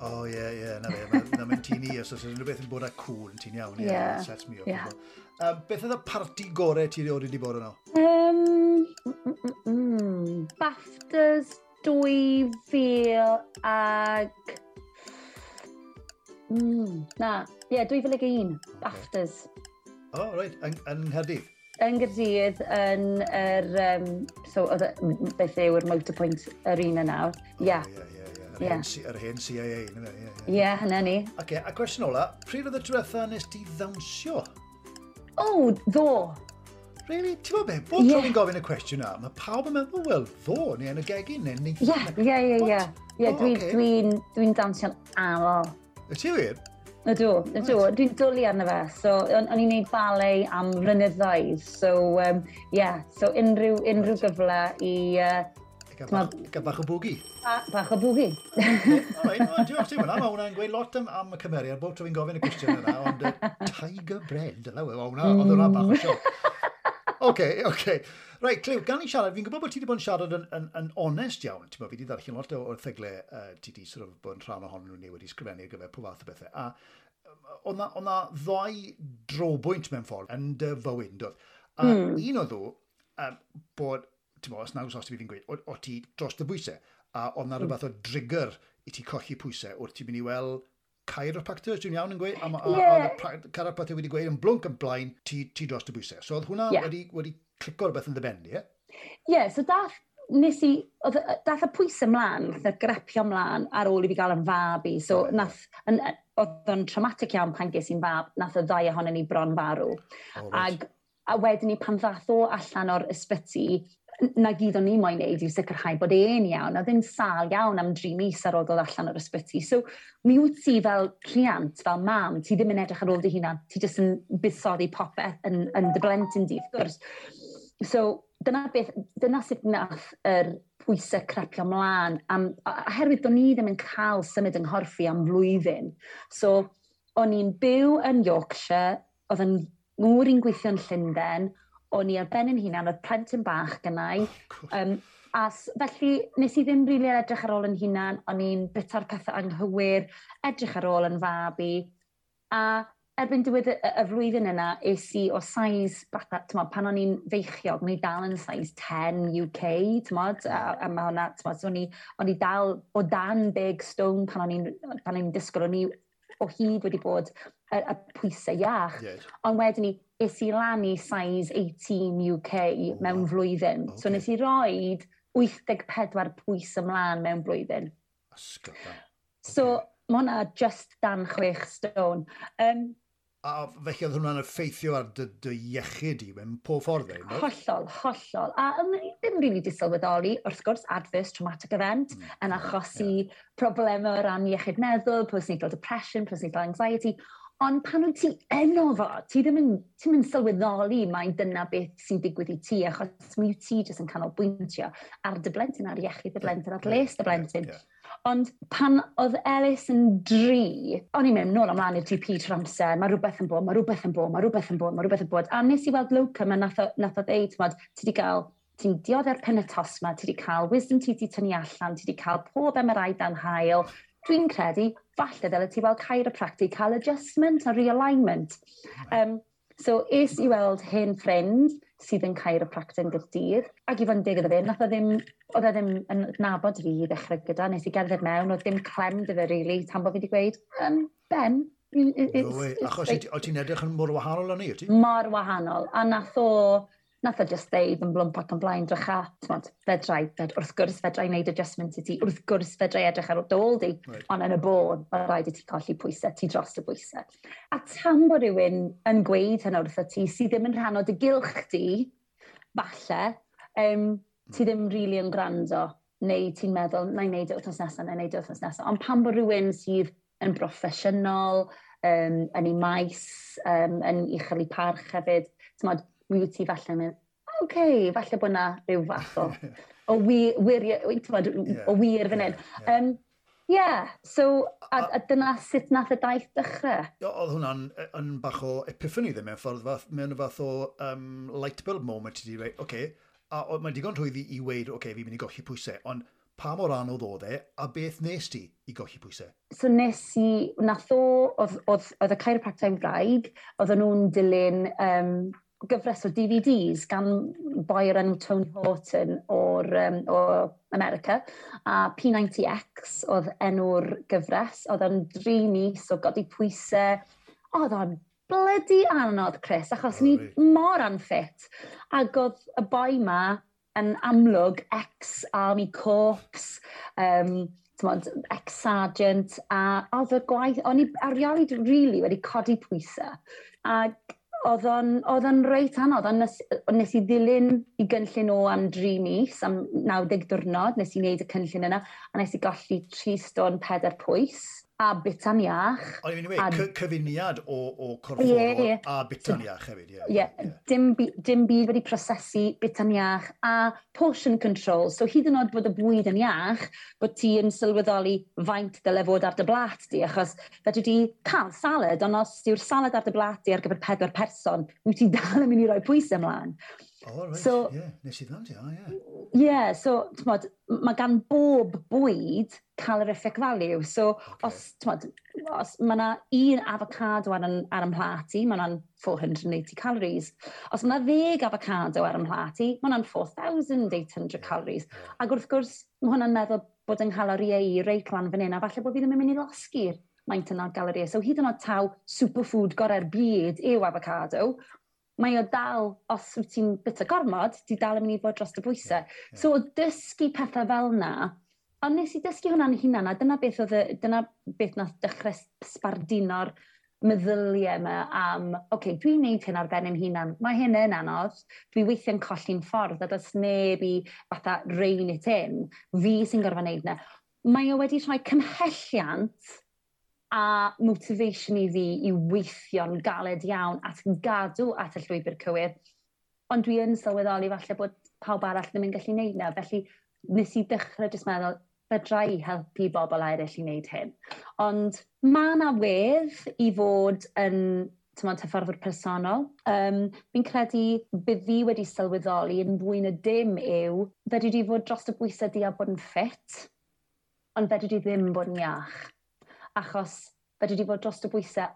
O, ie, na fe. Na mynd ti'n i, os oes unrhyw beth yn bod â cwn, ti'n iawn, ie, sets me up. Beth oedd y parti gorau ti erioed wedi bod yno? BAFTAs 2000 ag... Na, ie, yeah, 2001, BAFTAs. O, oh, reit, yn Nghaerdydd? Yn Gaerdydd, yn yr... so, oedd beth yw'r Motorpoint Arena nawr. Ie. Ie, ie, ie. Yr hen CIA, na fe, ie. Ie, hynna ni. Oce, a cwestiwn ola, pryd oedd y diwetha nes ti ddawnsio? O, ddo. Really? Ti'n gwybod be? Bob tro fi'n gofyn y cwestiwn na, mae pawb yn meddwl, wel, ddo, neu yn y gegin, neu Ie. Ie, dwi'n dwi dawnsio'n aml. Y ti wir? Ydw. Dwi'n dwlu arno fe. So, o'n i'n neud ballet am flynyddoedd. So, yeah, so unrhyw gyfle i Gael bach o boogie. Bach o boogie. Alright, well, diolch ti hwnna. Mae hwnna'n gweud lot am y cymeriad, bob tro fi'n gofyn y cwestiwn yna, ond Tiger Bread, yna, wel, hwnna, oedd hwnna bach o sioc. Oce. Reit, Clyw, gan i siarad, fi'n gwybod bod ti wedi bod yn siarad yn onest iawn. Ti'n bod, fi wedi ddarllen lot o'r erthyglau ti wedi sort of bod yn rhan ohonyn nhw neu wedi sgrifennu ar gyfer pob fath o bethau. A oedd na ddau drobwynt mewn ffordd yn dy fywyd, yn doedd? A un oedd nhw, bod, ti'n bod, os nag os ti fi'n gweud, o ti dros dy bwysau, a oedd na rhywbeth o trigger i ti colli pwysau wrth ti'n mynd i weld chiropractor, dwi'n iawn yn gweud, a chiropractor wedi gweud yn blwnc yn blaen, ti dros dy bwysau. So oedd hwnna wedi clico rhywbeth yn dy ben, ie? Ie, yeah, so dath, nes i, oedd, dath y pwysau ymlaen, nath y grepio ymlaen ar ôl i fi gael yn fab i. So nath, oedd o'n traumatic iawn pan ges i'n fab, nath y ddau ohonyn ni bron farw. Oh, right. Ag, a wedyn ni pan ddath o allan o'r ysbyty, na gyd o'n i moyn neud yw sicrhau bod e'n iawn. Oedd e'n sâl iawn am 3 mis ar ôl dod allan o'r ysbyty. So, mi wyt ti fel rhiant, fel mam, ti ddim yn edrych ar ôl dy hunan. Ti jyst yn buddsoddi popeth yn dy blentyn di, wrth gwrs. So, dyna sut nath yr pwysau crepio mlaen. Oherwydd do'n i ddim yn cael symud yng nghorff i am flwyddyn. So, o'n i'n byw yn Yorkshire, oedd yn ngŵr i'n gweithio yn Llundain, o'n i ar ben yn hunan, oedd plentyn bach gynnau. A felly nes i ddim rili edrych ar ôl yn hunan, o'n i'n bita'r pethau anghywir, edrych ar ôl yn fabi. A erbyn diwedd y flwyddyn yna, es i o size, fatha, t'mod, pan o'n i'n feichiog, o'n i dal yn size 10 UK, t'mod, a mae hwnna, t'mod, so o'n i dal o dan 10 stone pan o'n i'n disgwyl, o'n i o hyd wedi bod y pwysau iach. Ond wedyn ni, es i lan i size 18 UK mewn flwyddyn. So nes i roed 84 pwys ymlaen mewn blwyddyn. Ysgol. So mae hwnna just dan 6 stone. A felly oedd hwnna'n effeithio ar dy iechyd i mewn pob ffordd, e, no? Hollol, hollol. A o'n i ddim rili di sylweddoli, wrth gwrs, adverse traumatic event yn achosi problemau o ran iechyd meddwl, postnatal depression, postnatal anxiety. Ond pan wyt ti yno fo, ti ddim yn, ti ddim yn sylweddoli mai dyna beth sy'n digwydd i ti, achos mi wyt ti jyst yn canolbwyntio ar dy blentyn, ar iechyd dy blentyn, ar les dy blentyn. Ond pan oedd Ellis yn 3, o'n i'n mynd nôl ymlaen i'r GP trwy'r amser, mae rhywbeth yn bod, mae rhywbeth yn bod, mae rhywbeth yn bod, mae rhywbeth yn bod. A nes i weld locum a nath o ddeud, t'mod, ti wedi cael, ti'n dioddef'r pen y tost ma, ti wedi cael wisdom teeth i tynnu allan, ti wedi cael pob MRI dan haul. Dwi'n credu, falle ddyle ti weld chiropractic, cael adjustment a realignment. So es i weld hen ffrind sydd yn chiropractor yn Gaerdydd, ac i fod yn deg iddo fe, nath o ddim, oedd e ddim yn nabod fi i ddechrau gyda, nes i gerdded mewn, oedd dim clem 'da fe, really, tan bod fi wedi gweud, "Ben, No way. Achos o ti'n edrych yn mor wahanol o'n i, ti? Mor wahanol. A nath o Nath o just ddeud yn blwmp ac yn blaen, drycha, t'mod, fedrai, wrth gwrs fedrai wneud adjustment i ti, wrth gwrs fedrai edrych ar ôl di, ond yn y bôn, mae rhaid i ti colli pwysau, ti dros y pwysau. A tan bod rhywun yn gweud hynna wrtho ti, sydd ddim yn rhan o dy gylch di, falle, ti ddim really yn gwrando, neu ti'n meddwl, na i wneud e wythnos nesaf, na i wneud e wythnos nesaf. Ond pan bod rhywun sydd yn broffesiynol, yn ei maes, yn uchel ei parch hefyd, t'mod, wyt ti falle mynd, oce, okay, falle bod na rhyw fath o wir, t'mod, o wir fan hyn. Yeah, so, a dyna sut nath y daith dechrau. Oedd hwnna'n yn bach o epiphany ddim mewn ffordd, mewn fath o light bulb moment i ti dweud, oce, okay, a mae'n digon rhwydd i weud, oce, okay, fi'n mynd i golli pwysau, ond pa mor anodd oedd e, a beth nes ti i golli pwysau? So nes i, nath o, oedd y chiropractor wraig, oedden nhw'n dilyn gyfres o DVDs gan boi o'r enw Tony Horton o America, a P90X oedd enw'r gyfres, oedd o'n 3 mis o godi pwysau, oedd o'n bloody anodd, Chris, achos ni mor unfit. Ac oedd y boi ma yn amlwg ex-army corps, t'mod, ex-sergeant, a oedd y gwaith, o'n i erioed really wedi codi pwysau. Ac oedd o'n reit anodd, ond nes i ddilyn i gynllun o am 3 mis, am 90 diwrnod, nes i wneud y cynllun yna, a nes i golli 3 stone 4 pwys, a bita'n iach. O'n i'n mynd i weud, cyfuniad o corfforol ie, ie. a bita'n iach hefyd. Ie, yeah, dim byd wedi prosesu, bita'n iach, a portion control. So hyd yn oed bod y bwyd yn iach, bod ti yn sylweddoli faint dyle fod ar dy blat di, achos fedri di cael salad, ond os yw'r salad ar dy blat di ar gyfer pedwar person, wyt ti dal yn mynd i roi pwysau ymlaen. Oh, right, so, yeah. Nes i ddod, ie. Yeah, so, t'mod, mae gan bob bwyd calorific value. So, os, t'mod, os mae yna un avocado ar 'y mhlat i, mae hwnna'n 480 calories. Os mae yna 10 avocado ar 'y mhlat i, mae hwnna'n 4,800 calories. Ac wrth gwrs, mae hwnna'n meddwl bod yng nghaloriau i reit lan fan hyn, a falle bod fi ddim yn mynd i losgi'r maint yna o galoriau. So hyd yn oed taw superfood gorau'r byd yw avocado, mae o dal, os wyt ti'n bita gormod, ti dal yn mynd i fod dros y bwysau. Yeah. So, dysgu pethau fel na, ond nes i dysgu hwnna'n hunan, a dyna beth nath dechrau sbardino'r meddyliau yma am, oce, okay, dwi'n neud hyn ar ben yn hunan, mae hyn yn anodd, dwi weithiau'n colli'n ffordd, a does neb i fatha rein it in, fi sy'n gorfod neud yna. Mae o wedi rhoi cymhelliant a motivation i fi i weithio'n galed iawn at gadw at y llwybr cywir. Ond dwi yn sylweddoli falle bod pawb arall ddim yn gallu neud na. Felly nes i dechrau jyst meddwl, fedra i helpu bobl eraill i wneud hyn. Ond mae yna wedd i fod yn, t'mod, hyfforddwr personol. Fi'n credu bydd fi wedi sylweddoli yn fwy na dim yw, fedri di fod dros y bwysau di a bod yn ffit, ond fedri di ddim bod yn iach. Achos fedri di fod dros y bwysau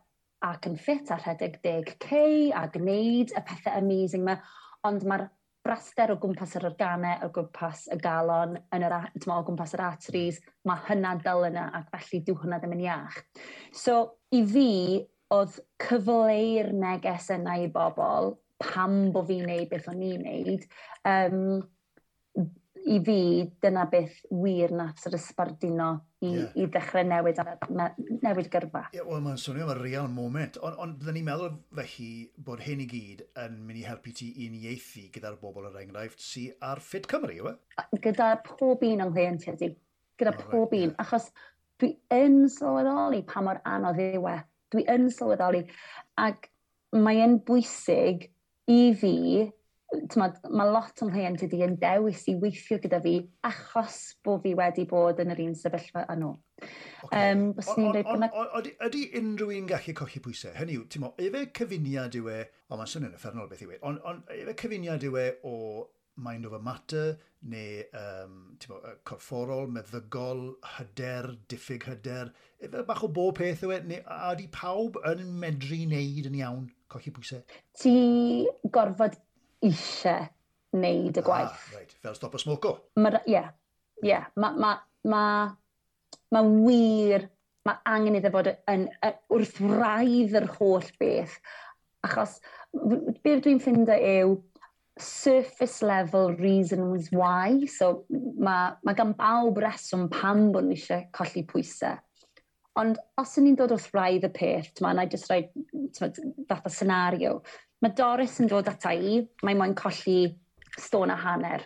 ac yn ffit a rhedeg 10K a gwneud y pethau amazing yma, ond mae'r braster o gwmpas yr organau, o gwmpas y galon, t'mo, o gwmpas yr arteries, mae hynna dal yna ac felly dyw hynna ddim yn iach. So, i fi, oedd cyfleu'r neges yna i bobl, pam bo fi'n neud beth o'n i'n neud, i fi, dyna beth wir nath sort of sbarduno i, i ddechrau newid gyrfa. Ie, yeah, wel, mae'n swnio fel real moment. Ond byddwn ni'n meddwl felly bod hyn i gyd yn mynd i helpu ti i uniaethu gyda'r bobl, er enghraifft, sydd ar Fit Cymru, yw e? Gyda pob un o'n nghleientiaid i. Gyda oh, pob un. Achos dwi yn sylweddoli pa mor anodd yw e. Dwi yn sylweddoli. Ac mae e'n bwysig i fi, t'mod, mae lot o'n nghleientiaid i yn dewis i weithio gyda fi achos bod fi wedi bod yn yr un sefyllfa â nhw. Byswn i'n dweud bod Ydy unrhyw un gallu colli pwysau? Hynny yw, ti'n mo, efe cyfuniad yw e, o, mae'n swnio'n uffernol beth yw e, ond efe cyfuniad yw e o mind over matter, neu ti'n mo, corfforol, meddygol, hyder, diffyg hyder, efe bach o bob peth yw e, neu a ydy pawb yn medru wneud yn iawn, colli pwysau? Ti gorfod eisiau wneud y gwaith. Ah, right. Fel stop o smoco. Ie, ie. Ma wir, mae angen iddo fod yn wrth wraidd yr holl beth. Achos beth dwi'n ffindo yw, surface level reasons why. So mae gan bawb reswm pam bod nhw eisiau colli pwysau. Ond os ydyn ni'n dod wrth wraidd y peth, t'ma, na i jyst rhoi, t'ma, fath o scenario. Mae Doris yn dod ata i, mae moyn colli stôn a hanner.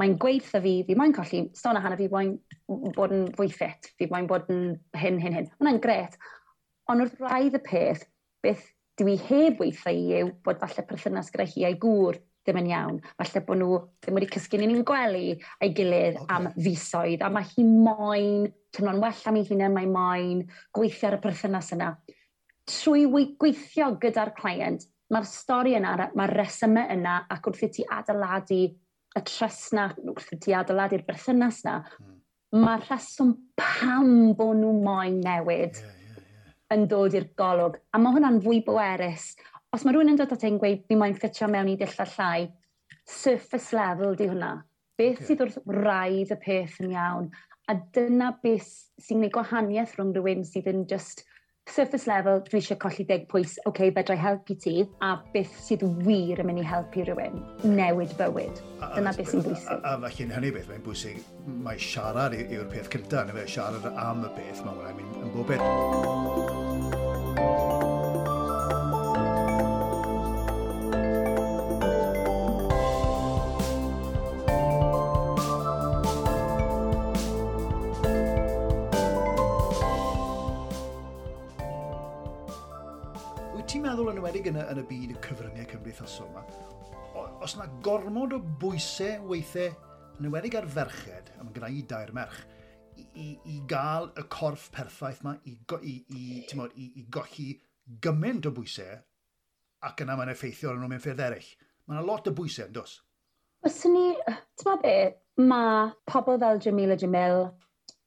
Mae'n gweud wrtho fi, fi moyn colli stôn a hanner, fi moyn bod yn fwy ffit, fi moyn bod yn hyn, hyn, hyn. Hwnna'n gret. Ond wrth wraidd y peth, beth dwi heb weithio i yw bod falle perthynas gyda hi a'i gŵr ddim yn iawn. Falle bod nhw ddim wedi cysgu yn un gwely a'i gilydd am fisoedd, a mae hi moyn teimlo'n well am ei hunan, mae moyn gweithio ar y perthynas yna. Trwy gweithio gyda'r client, mae'r stori yna, mae'r resymau yna, ac wrth i ti adeiladu y trust na, wrth i ti adeiladu'r berthynas na, mae'r rheswm pam bod nhw moyn newid yn dod i'r golwg. A mae hwnna'n fwy bwerus. Os mae rhywun yn dod at ein gweud, fi moyn ffitio mewn i dillad llai, surface level di hwnna. Beth sydd wrth wraidd y peth yn iawn? A dyna beth sy'n gwneud gwahaniaeth rhwng rhywun sydd yn just surface level, dwi eisiau colli 10 pwys, oce, okay, fedra i helpu ti, a beth sydd wir yn mynd i helpu rhywun, newid bywyd. Dyna beth sy'n bwysig. A felly yn hynny beth, mae'n bwysig, mae siarad yw'r peth cyntaf, neu fe, siarad am y peth, mae hwnna'n mynd yn bob peth. Wyt ti'n meddwl yn enwedig yn y byd cyfryngau cymdeithasol yma, os yna gormod o bwysau weithiau, yn enwedig ar ferched, a mae gyda i dair merch, i gael y corff perffaith yma, t'mod, i golli gymaint o bwysau, ac yna mae'n effeithio arnyn nhw mewn ffyrdd eraill. Mae yna lot o bwysau, yn does? Fyswn ni, ti'n be, mae pobl fel Jamila Jamil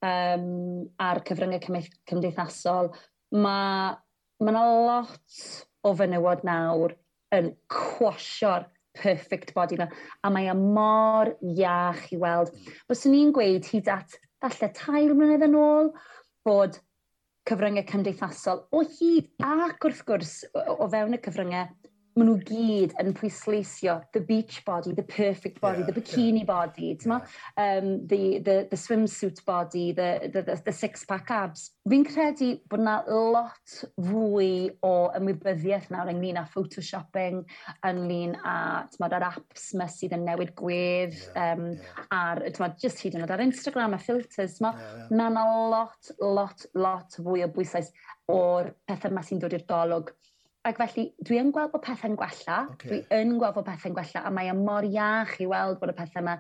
a'r cyfryngau cymdeithasol, mae yna lot o fenywod nawr yn cwasio'r perfect body yma, a mae e mor iach i weld. Byswn i'n gweud hyd at falle 3 mlynedd yn ôl bod cyfryngau cymdeithasol o hyd, ac wrth gwrs o fewn y cyfryngau, maen nhw gyd yn pwysleisio the beach body, the perfect body, the bikini body, t'mo? The swimsuit body, the six-pack abs. Fi'n credu bod yna lot fwy o ymwybyddiaeth nawr ynglyn â photoshopping, ynglyn â, t'mod, yr apps yma sydd yn newid gwedd, ar, t'mod, just hyd yn oed ar Instagram a filters, t'mo? Mae yna lot, lot, lot fwy o bwyslais o'r pethau yma sy'n dod i'r golwg. Ac felly, dwi yn gweld bod pethau'n gwella. Dwi yn gweld bod pethau'n gwella, a mae e mor iach i weld bod y pethau yma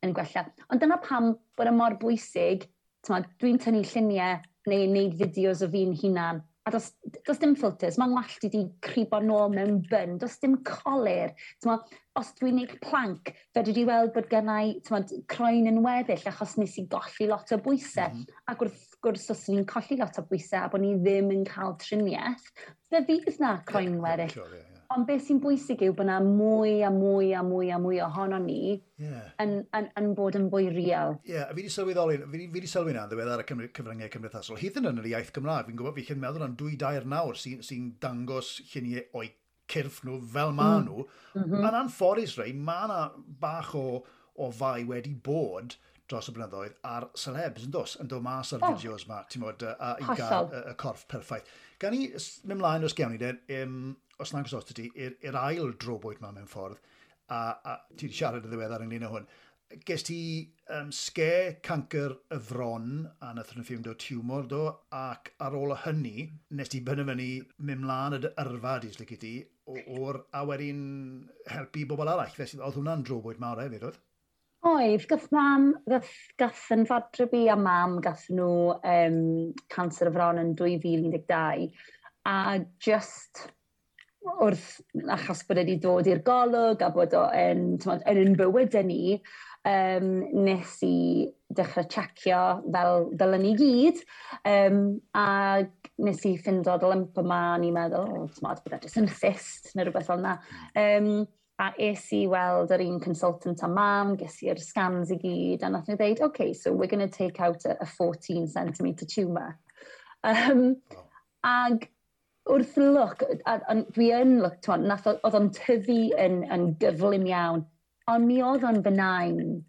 yn gwella. Ond dyna pam bod e mor bwysig, t'mod, dwi'n tynnu lluniau neu wneud fideos o fi'n hunan, a does dim filters, mae'n wallt i di cribo nôl mewn bun, does dim colur. T'mod, os dwi'n gwneud plank, fedri di weld bod gennai, t'mod, croen yn weddill achos nes i golli lot o bwysau. Ac wrth gwrs, os ni'n colli lot o bwysau a bod ni ddim yn cael triniaeth, fe fydd na croen weddill. Ond beth sy'n bwysig yw bod na mwy a mwy a mwy a mwy ohono ni yn bod yn fwy real. Ie, a fi wedi sylweddoli, fi wedi sylwi na yn ddiweddar y cyfryngau cymdeithasol. Hyd yn oed yn yr iaith Gymraeg, fi'n gwybod, fi'n meddwl am dwy dair nawr sy dangos lluniau o'i cyrff nhw fel ma nhw. Yn anffodus rei, ma' na bach o fai wedi bod dros y blynyddoedd ar celebs, yn dos, yn dod mas ar fideos ma, ti'n a i gael y corff perffaith. Gan i mynd mlaen os gewn ni, de, os nag os ti, i'r ail drobwynt ma mewn ffordd, a ti wedi siarad yn ddiweddar ynglyn â hwn, ges ti scare cancer y fron, a nath nhw ffindo tiwmor do, ac ar ôl hynny, nes ti benderfynu mynd mlaen y dy yrfa, di, os lici ti, a wedyn helpu bobl arall. Felly, oedd hwnna'n drobwynt mawr hefyd, oedd? Oedd, gath mam, gath, gath yn fodryb i a mam, gath nhw canser y fron yn 2012, a just wrth, achos bod e wedi dod i'r golwg a bod o yn, t'mod, yn ein bywydau ni, nes i dechrau checio fel dylen ni gyd, a nes i ffindo'r lump yma, a ni'n meddwl, o, t'mod, bod e jyst yn cyst neu rhywbeth fel yna. A es i weld yr un consultant a mam, ges i'r scans i gyd, a nath nhw ddeud, okay, so we're going to take out a 14 centimetre tumour. Ag wrth lwc, a dwi yn lwc, t'mod, nath o, oedd o'n tyfu yn gyflym iawn. Ond mi oedd o'n benign.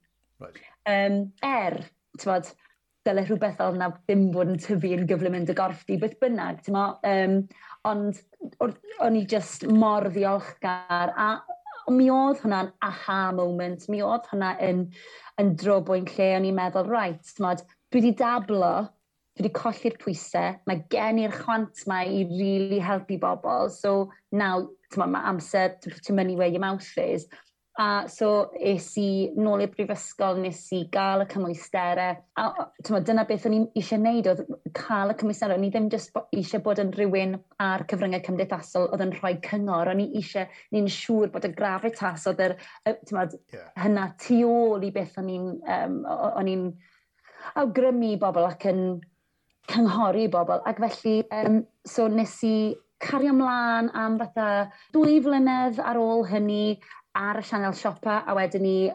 Right. Ti'n dyle rhywbeth fel yna ddim bod yn tyfu yn gyflym yn dy gorff di, beth bynnag, ti'n ond o'n i just mor ddiolchgar, a mi oedd hwnna'n aha moment, mi oedd hwnna yn drobwynt lle o'n i'n meddwl, right, ti'n dwi wedi dablo, dwi wedi colli'r pwysau, mae gen i'r chwant ma i really helpu bobl, so now, ti'n mae amser to put your money where your mouth is. A so es i nôl i'r brifysgol, nes i gael y cymwysterau. A t'mo, dyna beth o'n i eisiau gwneud, oedd cael y cymwysterau. O'n i ddim jyst eisiau bod yn rhywun ar cyfryngau cymdeithasol oedd yn rhoi cyngor. O'n i eisiau, ni'n siŵr bod y gravitas oedd yr, t'mo, hynna tu ôl i beth o'n i'n awgrymu i bobl ac yn cynghori bobl. Ac felly, so nes i cario ymlaen am fatha 2 flynedd ar ôl hynny ar y sianel siopa, a wedyn ni,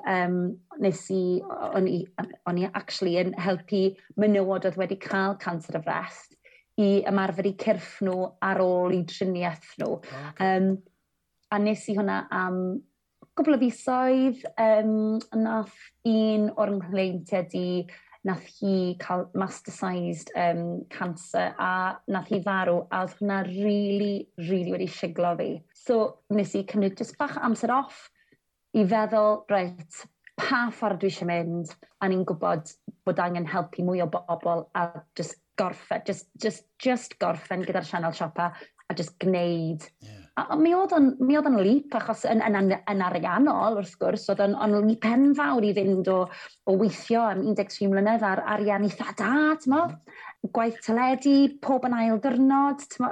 nes i, o'n i actually yn helpu menywod oedd wedi cael canser y frest i ymarfer eu cyrff nhw ar ôl i triniaeth nhw. A nes i hwnna am gwbl o fisoedd. Nath un o'r nghleientiaid i, nath hi cael metastasized cancer a nath hi farw, a oedd hwnna really, really wedi siglo fi. So nes i cymryd just bach o amser off i feddwl, reit, pa ffordd dwi eisiau mynd, a ni'n gwybod bod angen helpu mwy o bobl a just gorffen, just gorffen gyda'r sianel siopa a just gwneud. A mi oedd o'n leap, achos yn ariannol, wrth gwrs, oedd o'n leap enfawr i fynd o weithio am 13 mlynedd ar arian eitha da, t'mo? Gwaith teledu, pob yn ail dyrnod, t'mo?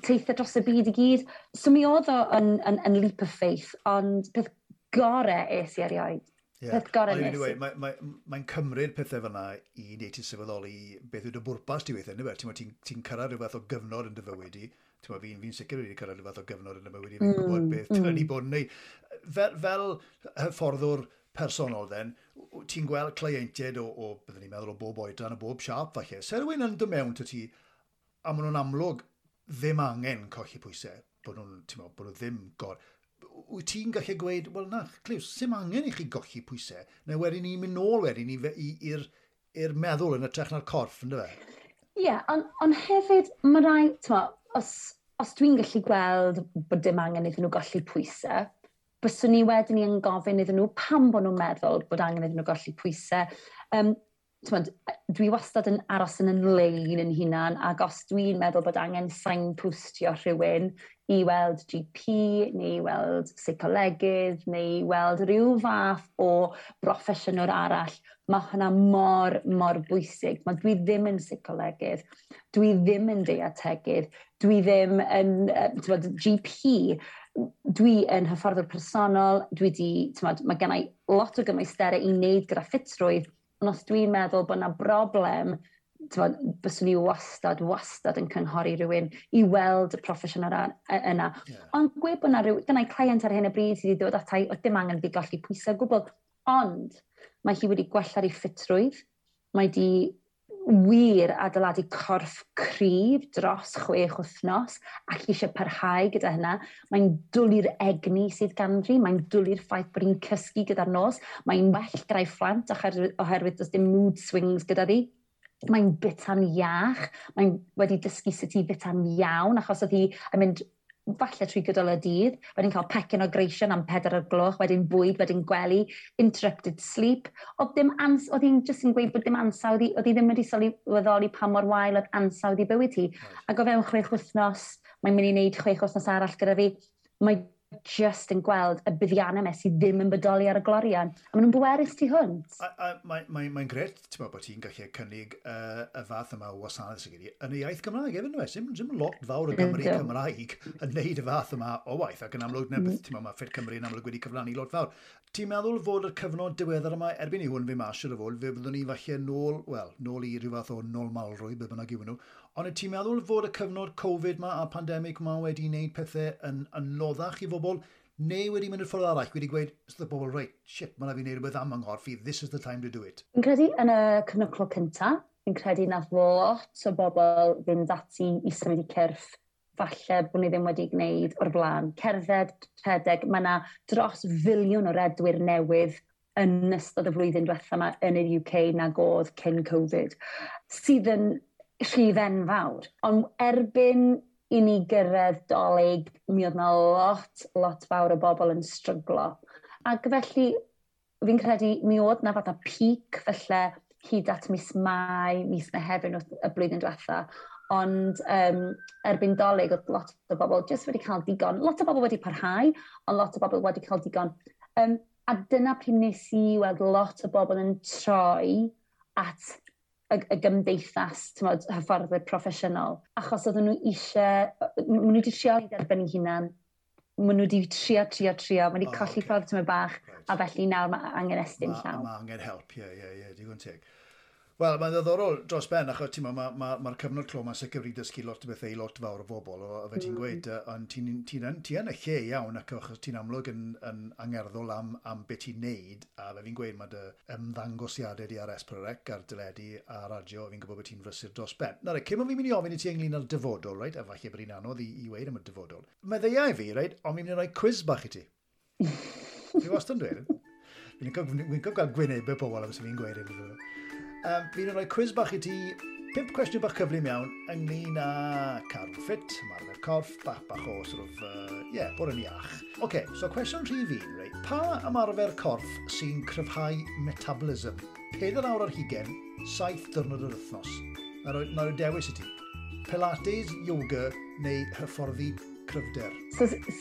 Teithio dros y byd i gyd. So mi oedd o yn leap of faith, ond peth gore es i erioed. Peth gore nes i. Mae'n mae cymryd pethau fyna i wneud ti sylweddoli beth yw dy bwrpas ti weithiau, neu Ti'n ti cyrraedd rhyw fath o gyfnod yn dy fywyd i. Ti'n fi'n sicr wedi cyrraedd rhyw fath o gyfnod yn dy fywyd i. Fi'n gwybod beth mm. i bod yn neud. Fel hyfforddwr personol then, ti'n gweld cleientiaid o, byddwn ni'n meddwl, o bob oedran, o bob siâp falle. Se rhywun yn dod mewn 'to ti, a maen nhw'n amlwg ddim angen colli pwysau, bod nhw'n, ti'n meddwl, bod nhw ddim gor... Wyt ti'n gallu gweud, wel na, Cliws, sim angen i chi golli pwysau, neu wedyn ni'n mynd nôl wedyn i'r meddwl yn hytrach na'r corff, ynddo fe? Ie, yeah, on hefyd, mae rai, t'mo, os dwi'n gallu gweld bod dim angen iddyn nhw golli pwysau, byswn ni wedyn ni yn gofyn iddyn nhw pam bod nhw'n meddwl bod angen iddyn nhw golli pwysau. T'mod, dwi wastad yn aros yn lein yn hunan, ac os dwi'n meddwl bod angen signpostio rhywun i weld GP, neu i weld seicolegydd, neu i weld rhyw fath o broffesiynwr arall, mae hwnna mor, mor bwysig. Mae dwi ddim yn seicolegydd, dwi ddim yn deietegydd, dwi ddim yn t'mod, GP, dwi yn hyfforddwr personol, dwi di, t'mod, mae gennau lot o gymwysterau i wneud gyda ffitrwydd, ond os dwi'n meddwl bod yna broblem, t'mod, byswn i wastad, wastad yn cynghori rhywun i weld y proffesiynau yna. Ond gweud bod yna rhyw, gynnau client ar hyn o bryd sydd wedi dod atai, oedd dim angen iddi golli pwysau o gwbl. Ond mae hi wedi gwella ei ffitrwydd, mae di wir adeiladu corff cryf dros 6 wythnos ac eisiau parhau gyda hynna. Mae'n dwlu'r egni sydd ganddi, mae'n dwlu'r ffaith bod hi'n cysgu gyda'r nos, mae'n well gyda'i phlant oherwydd does dim mood swings gyda ddi. Mae'n bita'n iach, mae'n wedi dysgu sut i bita'n iawn, achos oedd hi yn mynd falle trwy gydol y dydd, wedyn cael pecyn o greision am 4 o'r gloch, wedyn bwyd, wedyn gwely, interrupted sleep. Oedd dim oedd hi'n just yn gweud bod dim ansawdd, oedd hi ddim wedi sylweddoli pa mor wael oedd ansawdd i bywyd hi. Ac o fewn 6 wythnos, mae'n mynd i wneud 6 wythnos arall gyda fi, mae just yn gweld y buddiannau yma sydd ddim yn bodoli ar y glorian. A maen nhw'n bwerus tu hwnt. A mae'n mae grêt, ti'n meddwl, bod ti'n gallu cynnig y fath yma o wasanaeth sydd gen i yn y iaith Gymraeg hefyd, nhw. Sim lot fawr o Gymru Cymraeg yn neud y fath yma o waith, ac yn amlwg, mm. ti'n meddwl, mae Ffit Cymru yn amlwg wedi cyfrannu lot fawr. Ti'n meddwl fod y cyfnod diweddar yma, erbyn i hwn fi mas siwr o fod, fe fyddwn ni falle nôl, wel, nôl i rhyw fath o normalrwydd, be bynnag yw nhw, ond ti'n meddwl fod y cyfnod Covid ma a pandemig ma wedi wneud pethau yn anoddach i bobl, neu wedi mynd i'r ffordd arall, wedi gweud, wrth y bobl, "Right, shit, mae'n fi wneud rhywbeth am yng nghorff i, this is the time to do it"? Fi'n credu yn y cyfnod clo cynta, fi'n credu nath lot o bobl fynd ati i symud i cyrff. falle bod ni ddim wedi gwneud o'r blaen. Cerdded, rhedeg, mae yna dros filiwn o redwyr newydd yn ystod y flwyddyn diwetha yma yn yr UK nag oedd cyn Covid, sydd yn rhif enfawr. Ond erbyn i ni gyrraedd Dolig, mi oedd yna lot, lot fawr o bobl yn stryglo. Ac felly, fi'n credu mi oedd yna fatha peak felly hyd at mis Mai, mis Mehefin y blwyddyn diwetha. Ond erbyn Dolig, oedd lot o bobl jyst wedi cael digon. Lot o bobl wedi parhau, ond lot o bobl wedi cael digon. A dyna pryd nes i weld lot o bobl yn troi at y gymdeithas, t'mod, hyfforddwyr proffesiynol. Achos oedden nhw eisiau, maen nhw wedi trio i derbyn eu hunan, maen nhw wedi trio, trio, trio, maen nhw wedi colli ffordd tymed bach, a felly nawr mae angen estyn llaw. Mae angen help, ie, digon teg. Wel, mae'n ddiddorol dros ben, achos ti'n mae'r ma cyfnod clo mae'n sicr wedi dysgu lot o bethau i lot fawr o bobl, o fe ti'n gweud, ond ti yn y lle iawn, ac achos ti'n amlwg yn angerddol am beth ti'n neud, a fe fi'n gweud, mae dy ymddangosiadau di ar S4C, ar deledu a radio, fi'n gwybod bod ti'n frysur dros ben. Nawr, cyn bod fi'n mynd i ofyn i ti ynglyn â'r dyfodol, right? A falle bod hi'n anodd i weud am y dyfodol. Meddyliai fi, right? Ond fi'n mynd i roi quiz bach i ti. Fi wastad yn dweud. Fi'n licio gweld gwynebau pobl am sy'n fi'n gweud hyn. Fi'n rhoi quiz bach i ti, 5 cwestiwn bach cyflym iawn ynglyn â cadw ffit, ymarfer corff, bach bach o sort of, yeah, bod yn iach. OK, so cwestiwn rhif 1, reit? Pa ymarfer corff sy'n cryfhau metabolism? 4 awr ar hugain, 7 diwrnod yr wythnos. Na roi dewis i ti. Pilates, yoga neu hyfforddi cryfder?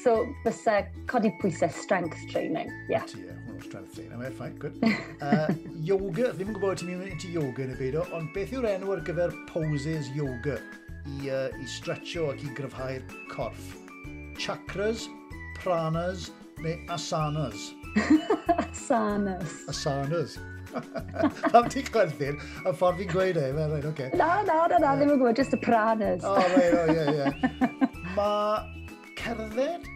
So bysa codi pwysau strength training, yeah. Ti, ie, hwnnw strength training, yeah, fine, good. Yoga, ddim yn gwybod ti'n mynd into yoga neu beidio, ond beth yw'r enw ar gyfer poses yoga i stretcho ac i gryfhau'r corff? Chakras, pranas neu asanas? Asanas. Asanas. Pam ti'n chwerthin, y ffordd fi'n gweud e, mae'n rhaid, oce. Na, ddim yn gwybod, just y pranas. Oh, right, oh, ie. Mae cerdded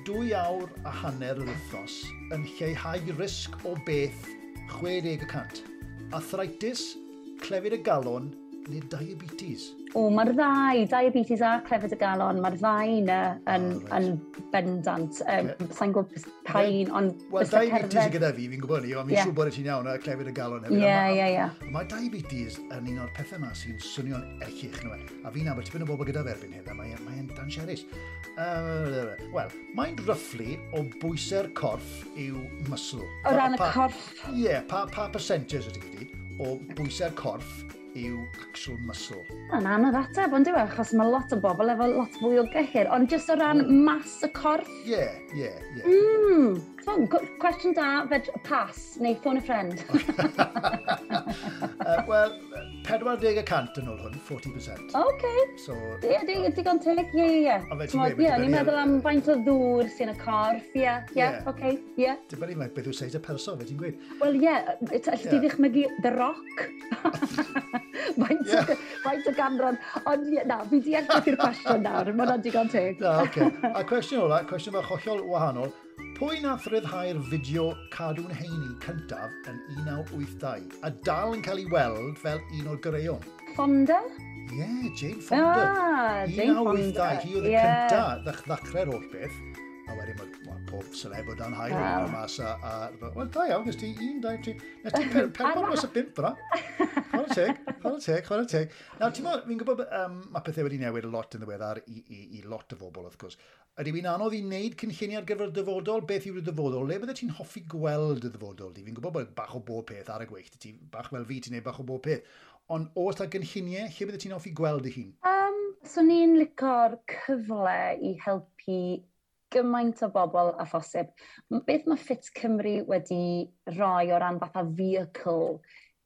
2 awr a hanner yr wythnos yn lleihau risg o beth 60%. Arthritis, clefyd y galon neu diabetes? O, mae'r ddau, diabetes a clefyd y galon, mae'r ddau yna yn bendant. Sa'n gwybod pa un, ond Wel, diabetes cerdded gyda fi, fi'n gwybod ni, ond fi'n siŵr bod ti'n iawn a clefyd y galon hefyd. Ie. Mae diabetes yn un o'r pethau yma sy'n swnio'n erchyll. A fi'n nabod tipyn o bobl gyda fe erbyn hyn, a mae'n dangerous. Wel, mae'n roughly o bwysau'r corff yw muscle. O ran y corff? Ie, yeah, pa percentage ydy gyd o bwysau'r corff yw actual muscle? Mae'n anodd ateb, ond dyw e, achos mae lot o bobl efo lot fwy o gyhyr, ond jyst o ran mas y corff? Ie. Cwestiwn da, fed pass, neu phone a friend. Wel, 40% yn ôl hwn, 40%. OK. So, ie, digon teg, ie. Ie, ni'n meddwl am faint o ddŵr sy'n y corff, ie, oce, ie. Dibynnu faint beth yw seis y person, fe ti'n gweud. Wel, ie, alli di ddychmygu The Rock? Faint o ganran. Ond ie, na, fi deall beth yw'r cwestiwn nawr, mae hwnna'n digon teg. Na, oce. A cwestiwn ola, cwestiwn bach hollol wahanol. Pwy nath ryddhau'r fideo Cadw'n Heini cyntaf yn 1982 a dal yn cael ei weld fel un o'r goreuon? Fonda? Ie, yeah, Jane Fonda. Ah, Jane Fonda. 1982, hi oedd y cyntaf ddechrau'r holl beth. A wedyn mae pob celeb o dan haul yn mas a wel, da iawn, nes ti 1, 2, 3, nes ti 4 dros y 5 fyna. Chwarae teg, chwarae teg, chwarae teg. Nawr, ti'n meddwl, fi'n gwybod mae pethau wedi newid lot yn ddiweddar i lot o bobl, wrth gwrs. Ydy fi'n anodd i wneud cynlluniau ar gyfer y dyfodol? Beth yw'r dyfodol? Le bydde ti'n hoffi gweld y dyfodol di? Fi'n gwybod bod bach o bob peth ar y gweill. Ti bach fel fi, ti'n neud bach o bob peth. Ond oes 'na gynlluniau, lle bydde ti'n hoffi gweld dy hun? So ni'n lico'r cyfle i helpu gymaint o bobl a phosib. Beth mae Ffit Cymru wedi rhoi o ran fatha vehicle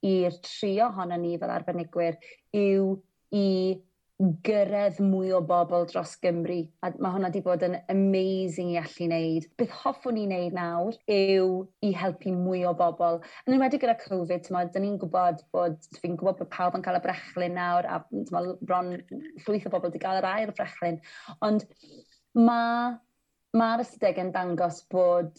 i'r tri ohono ni fel arbenigwyr yw i gyrraedd mwy o bobl dros Gymru. A mae hwnna wedi bod yn amazing i allu wneud. Beth hoffwn ni wneud nawr yw i helpu mwy o bobl. Yn enwedig gyda Covid, t'mod, dyn ni'n gwybod bod, fi'n gwybod bod pawb yn cael y brechlyn nawr, a t'mod, bron llwyth o bobl wedi cael yr ail brechlyn. Ond mae'r ystadegau'n dangos bod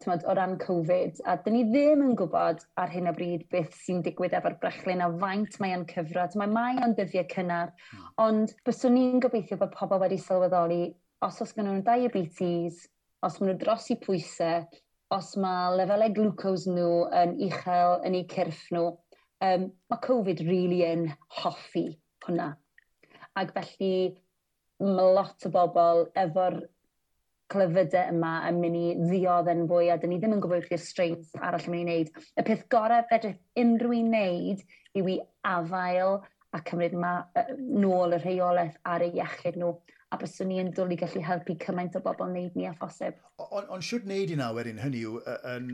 Tymod, o ran Covid, a dyn ni ddim yn gwybod ar hyn o bryd beth sy'n digwydd efo'r brechlyn a faint mae o'n cyfro. Mae o'n dyddiau cynnar, ond byswn ni'n gobeithio bod pobl wedi sylweddoli os oes gen nhw diabetes, os maen nhw dros i pwysau, os mae lefelau glucose nhw yn uchel yn eu cyrff nhw, mae Covid really yn hoffi hwnna. Ac felly mae lot o bobl efo'r clefydau yma yn mynd i ddioddef yn fwy, a dyn ni ddim yn gwybod beth yw'r strains arall yn mynd i wneud. Y peth gorau fedrith unrhyw un wneud yw i afael a cymryd nôl y rheolaeth ar eu iechyd nhw, a byswn ni yn dwlu gallu helpu cymaint o bobl wneud ni a phosib. Ond siwt wneud i na wedyn, hynny yw yn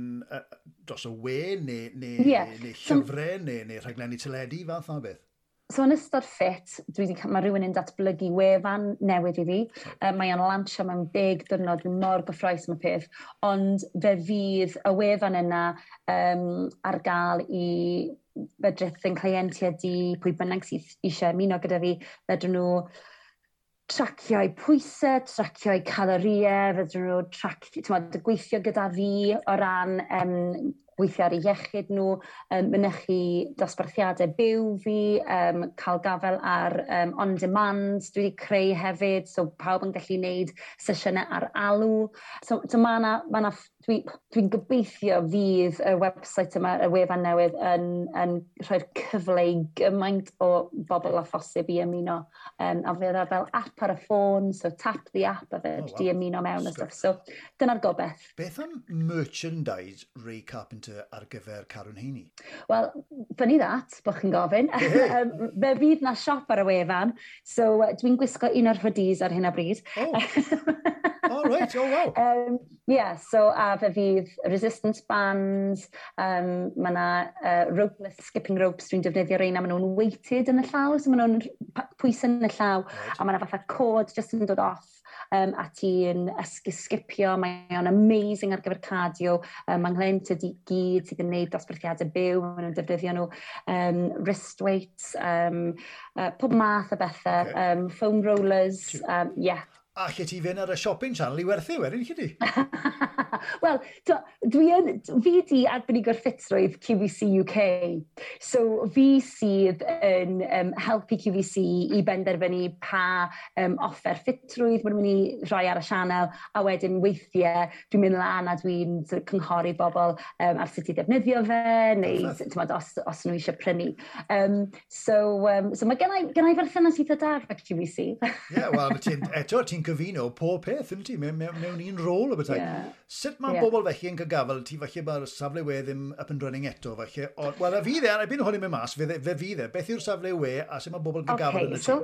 dros y we neu llyfrau neu rhaglenni teledu, fath o beth? So yn ystod ffit, mae rhywun yn datblygu wefan newydd i fi. Mae o'n lansio mewn 10 diwrnod, dwi'n mor gyffrous am y peth. Ond fe fydd y wefan yna ar gael i fedrith yn cleientiaid i pwy bynnag sydd eisiau ymuno gyda fi, fedrwn nhw tracio'u pwysau, tracio'u caloriau, fedrwn nhw tracio, gweithio gyda fi o ran gweithio ar eu iechyd nhw, mynychu dosbarthiadau byw fi, cael gafel ar on demand, dwi wedi creu hefyd, so pawb yn gallu gwneud sesiynau ar alw. So ma dwi'n gobeithio fydd y website yma, y wefan newydd, yn rhoi'r cyfle i gymaint o bobl a phosib i ymuno. A fydd e fel app ar y ffôn, so tap the app a fe di ymuno mewn a stuff. So dyna'r gobeith. Beth am merchandise Ray Carpenter ar gyfer Carwn Heini? Wel, funny that, bod chi'n gofyn. Fe fydd na siop ar y wefan, so dwi'n gwisgo un o'r hoodies ar hyn o bryd. Oh, oh right, oh wow. Yeah, so a fe fydd resistance bands, mae yna ropeless skipping ropes, dwi'n defnyddio reina, maen nhw'n weighted yn y llaw, so maen nhw'n pwysau yn y llaw, a mae yna fatha cord just yn dod off, a ti'n skipio, mae o'n amazing ar gyfer cardio, mae nghleientiaid i gyd sydd yn gwneud dosbarthiadau byw, maen nhw'n defnyddio nhw, wrist weights, pob math o bethau, foam rollers, yeah. A lle ti fynd ar y shopping channel i werthu wedyn, lle ti? Wel, fi di arbenigwr ffitrwydd QVC UK. So fi sydd yn helpu QVC i benderfynu pa offer ffitrwydd maen nhw'n mynd i rhoi ar y sianel, a wedyn weithiau dwi'n mynd lan a dwi'n sort of cynghori bobl ar sut i ddefnyddio fe, neu t'mod, os nhw eisiau prynu. So mae gennai berthynas eitha da efo QVC. Ie, wel, eto ti'n cyfuno pob peth, yn ti, mewn un rôl o bethau. Sut mae bobl felly yn cael gafel, ti falle mae'r safle we ddim up and running eto, falle. Wel, a fydd e, erbyn hwn i mynd mas, fe fydd e. Beth yw'r safle we a sut mae bobl yn cael gafel yn y ti? So,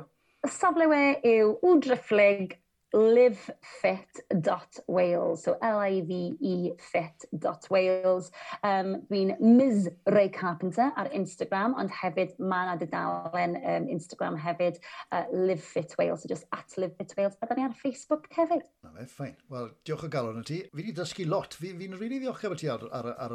y safle we yw www livefit.wales, so L-I-V-E fit.wales. Dwi'n Ms Ray Carpenter ar Instagram, ond hefyd mae yna dudalen Instagram hefyd, Live Wales, so just @LiveFitWales, a da ni ar Facebook hefyd. Na fe, fine. Wel, diolch o galon i ti. Fi wedi dysgu lot. Fi'n really ddiolchgar bod ti ar y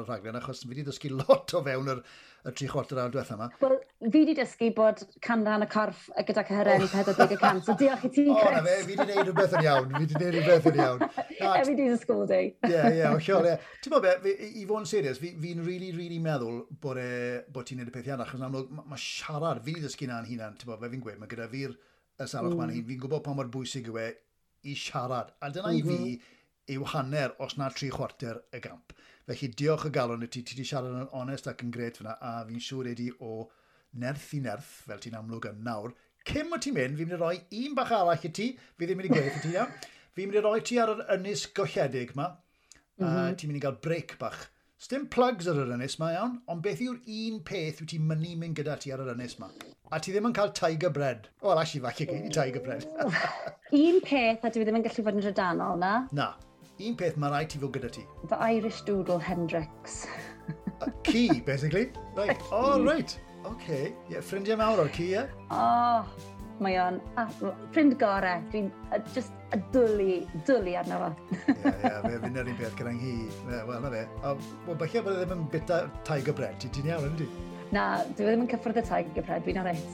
rhaglen, achos fi wedi dysgu lot o fewn y 3/4 awr diwetha yma. Wel, fi wedi dysgu bod canran y corff gyda cyhyrau yn 40%, so diolch i ti, Chris. O, na fe, fi wedi gwneud rhywbeth yn iawn. Fi wedi gwneud rhywbeth yn iawn. Every day's a school day. Ie, hollol, ie. Ti'n bod be, i fod yn serious, fi'n really, really meddwl bod ti'n neud y peth iawn, achos yn amlwg, ma siarad, fi wedi dysgu na'n hunan, ti'n bod, fe fi'n gweud, mae gyda fi'r y salwch ma'n hun, fi'n gwybod pa mor bwysig yw e i siarad. A dyna i fi yw hanner, os na 3/4 y gamp. Felly diolch o galon i ti, ti wedi siarad yn onest ac yn gret fyna, a fi'n siŵr wedi o nerth i nerth, fel ti'n amlwg yn nawr. Cyn bod ti'n mynd, fi'n mynd i roi un bach arall i ti, fi ddim mynd i gweud i ti, iawn. Fi'n mynd i roi ti ar yr ynys golledig ma, a ti'n mynd i gael break bach. Sdim plugs ar yr ynys ma, iawn, ond beth yw'r un peth wyt ti'n mynnu mynd gyda ti ar yr ynys ma? A ti ddim yn cael tiger bread. Wel, actually, falle gei di tiger bread. Un peth, a dwi ddim yn gallu fod yn drydanol, na? Na. Un peth mae rhaid ti fod gyda ti. The Irish Doodle Hendrix. Ci, basically. Right. Oh, right. Okay. Yeah, ffrindiau mawr o'r ci, ie? Oh, mae o'n ffrind gorau. Dwi'n just dwlu arno fo. Ie, fe fynd yr un peth gyda'n hi. Wel, na fe. Wel, falle bod e ddim yn bita tiger bread. Ti'n iawn, yndi? Na, dwi ddim yn cyffwrdd y tiger bread, dwi'n alright.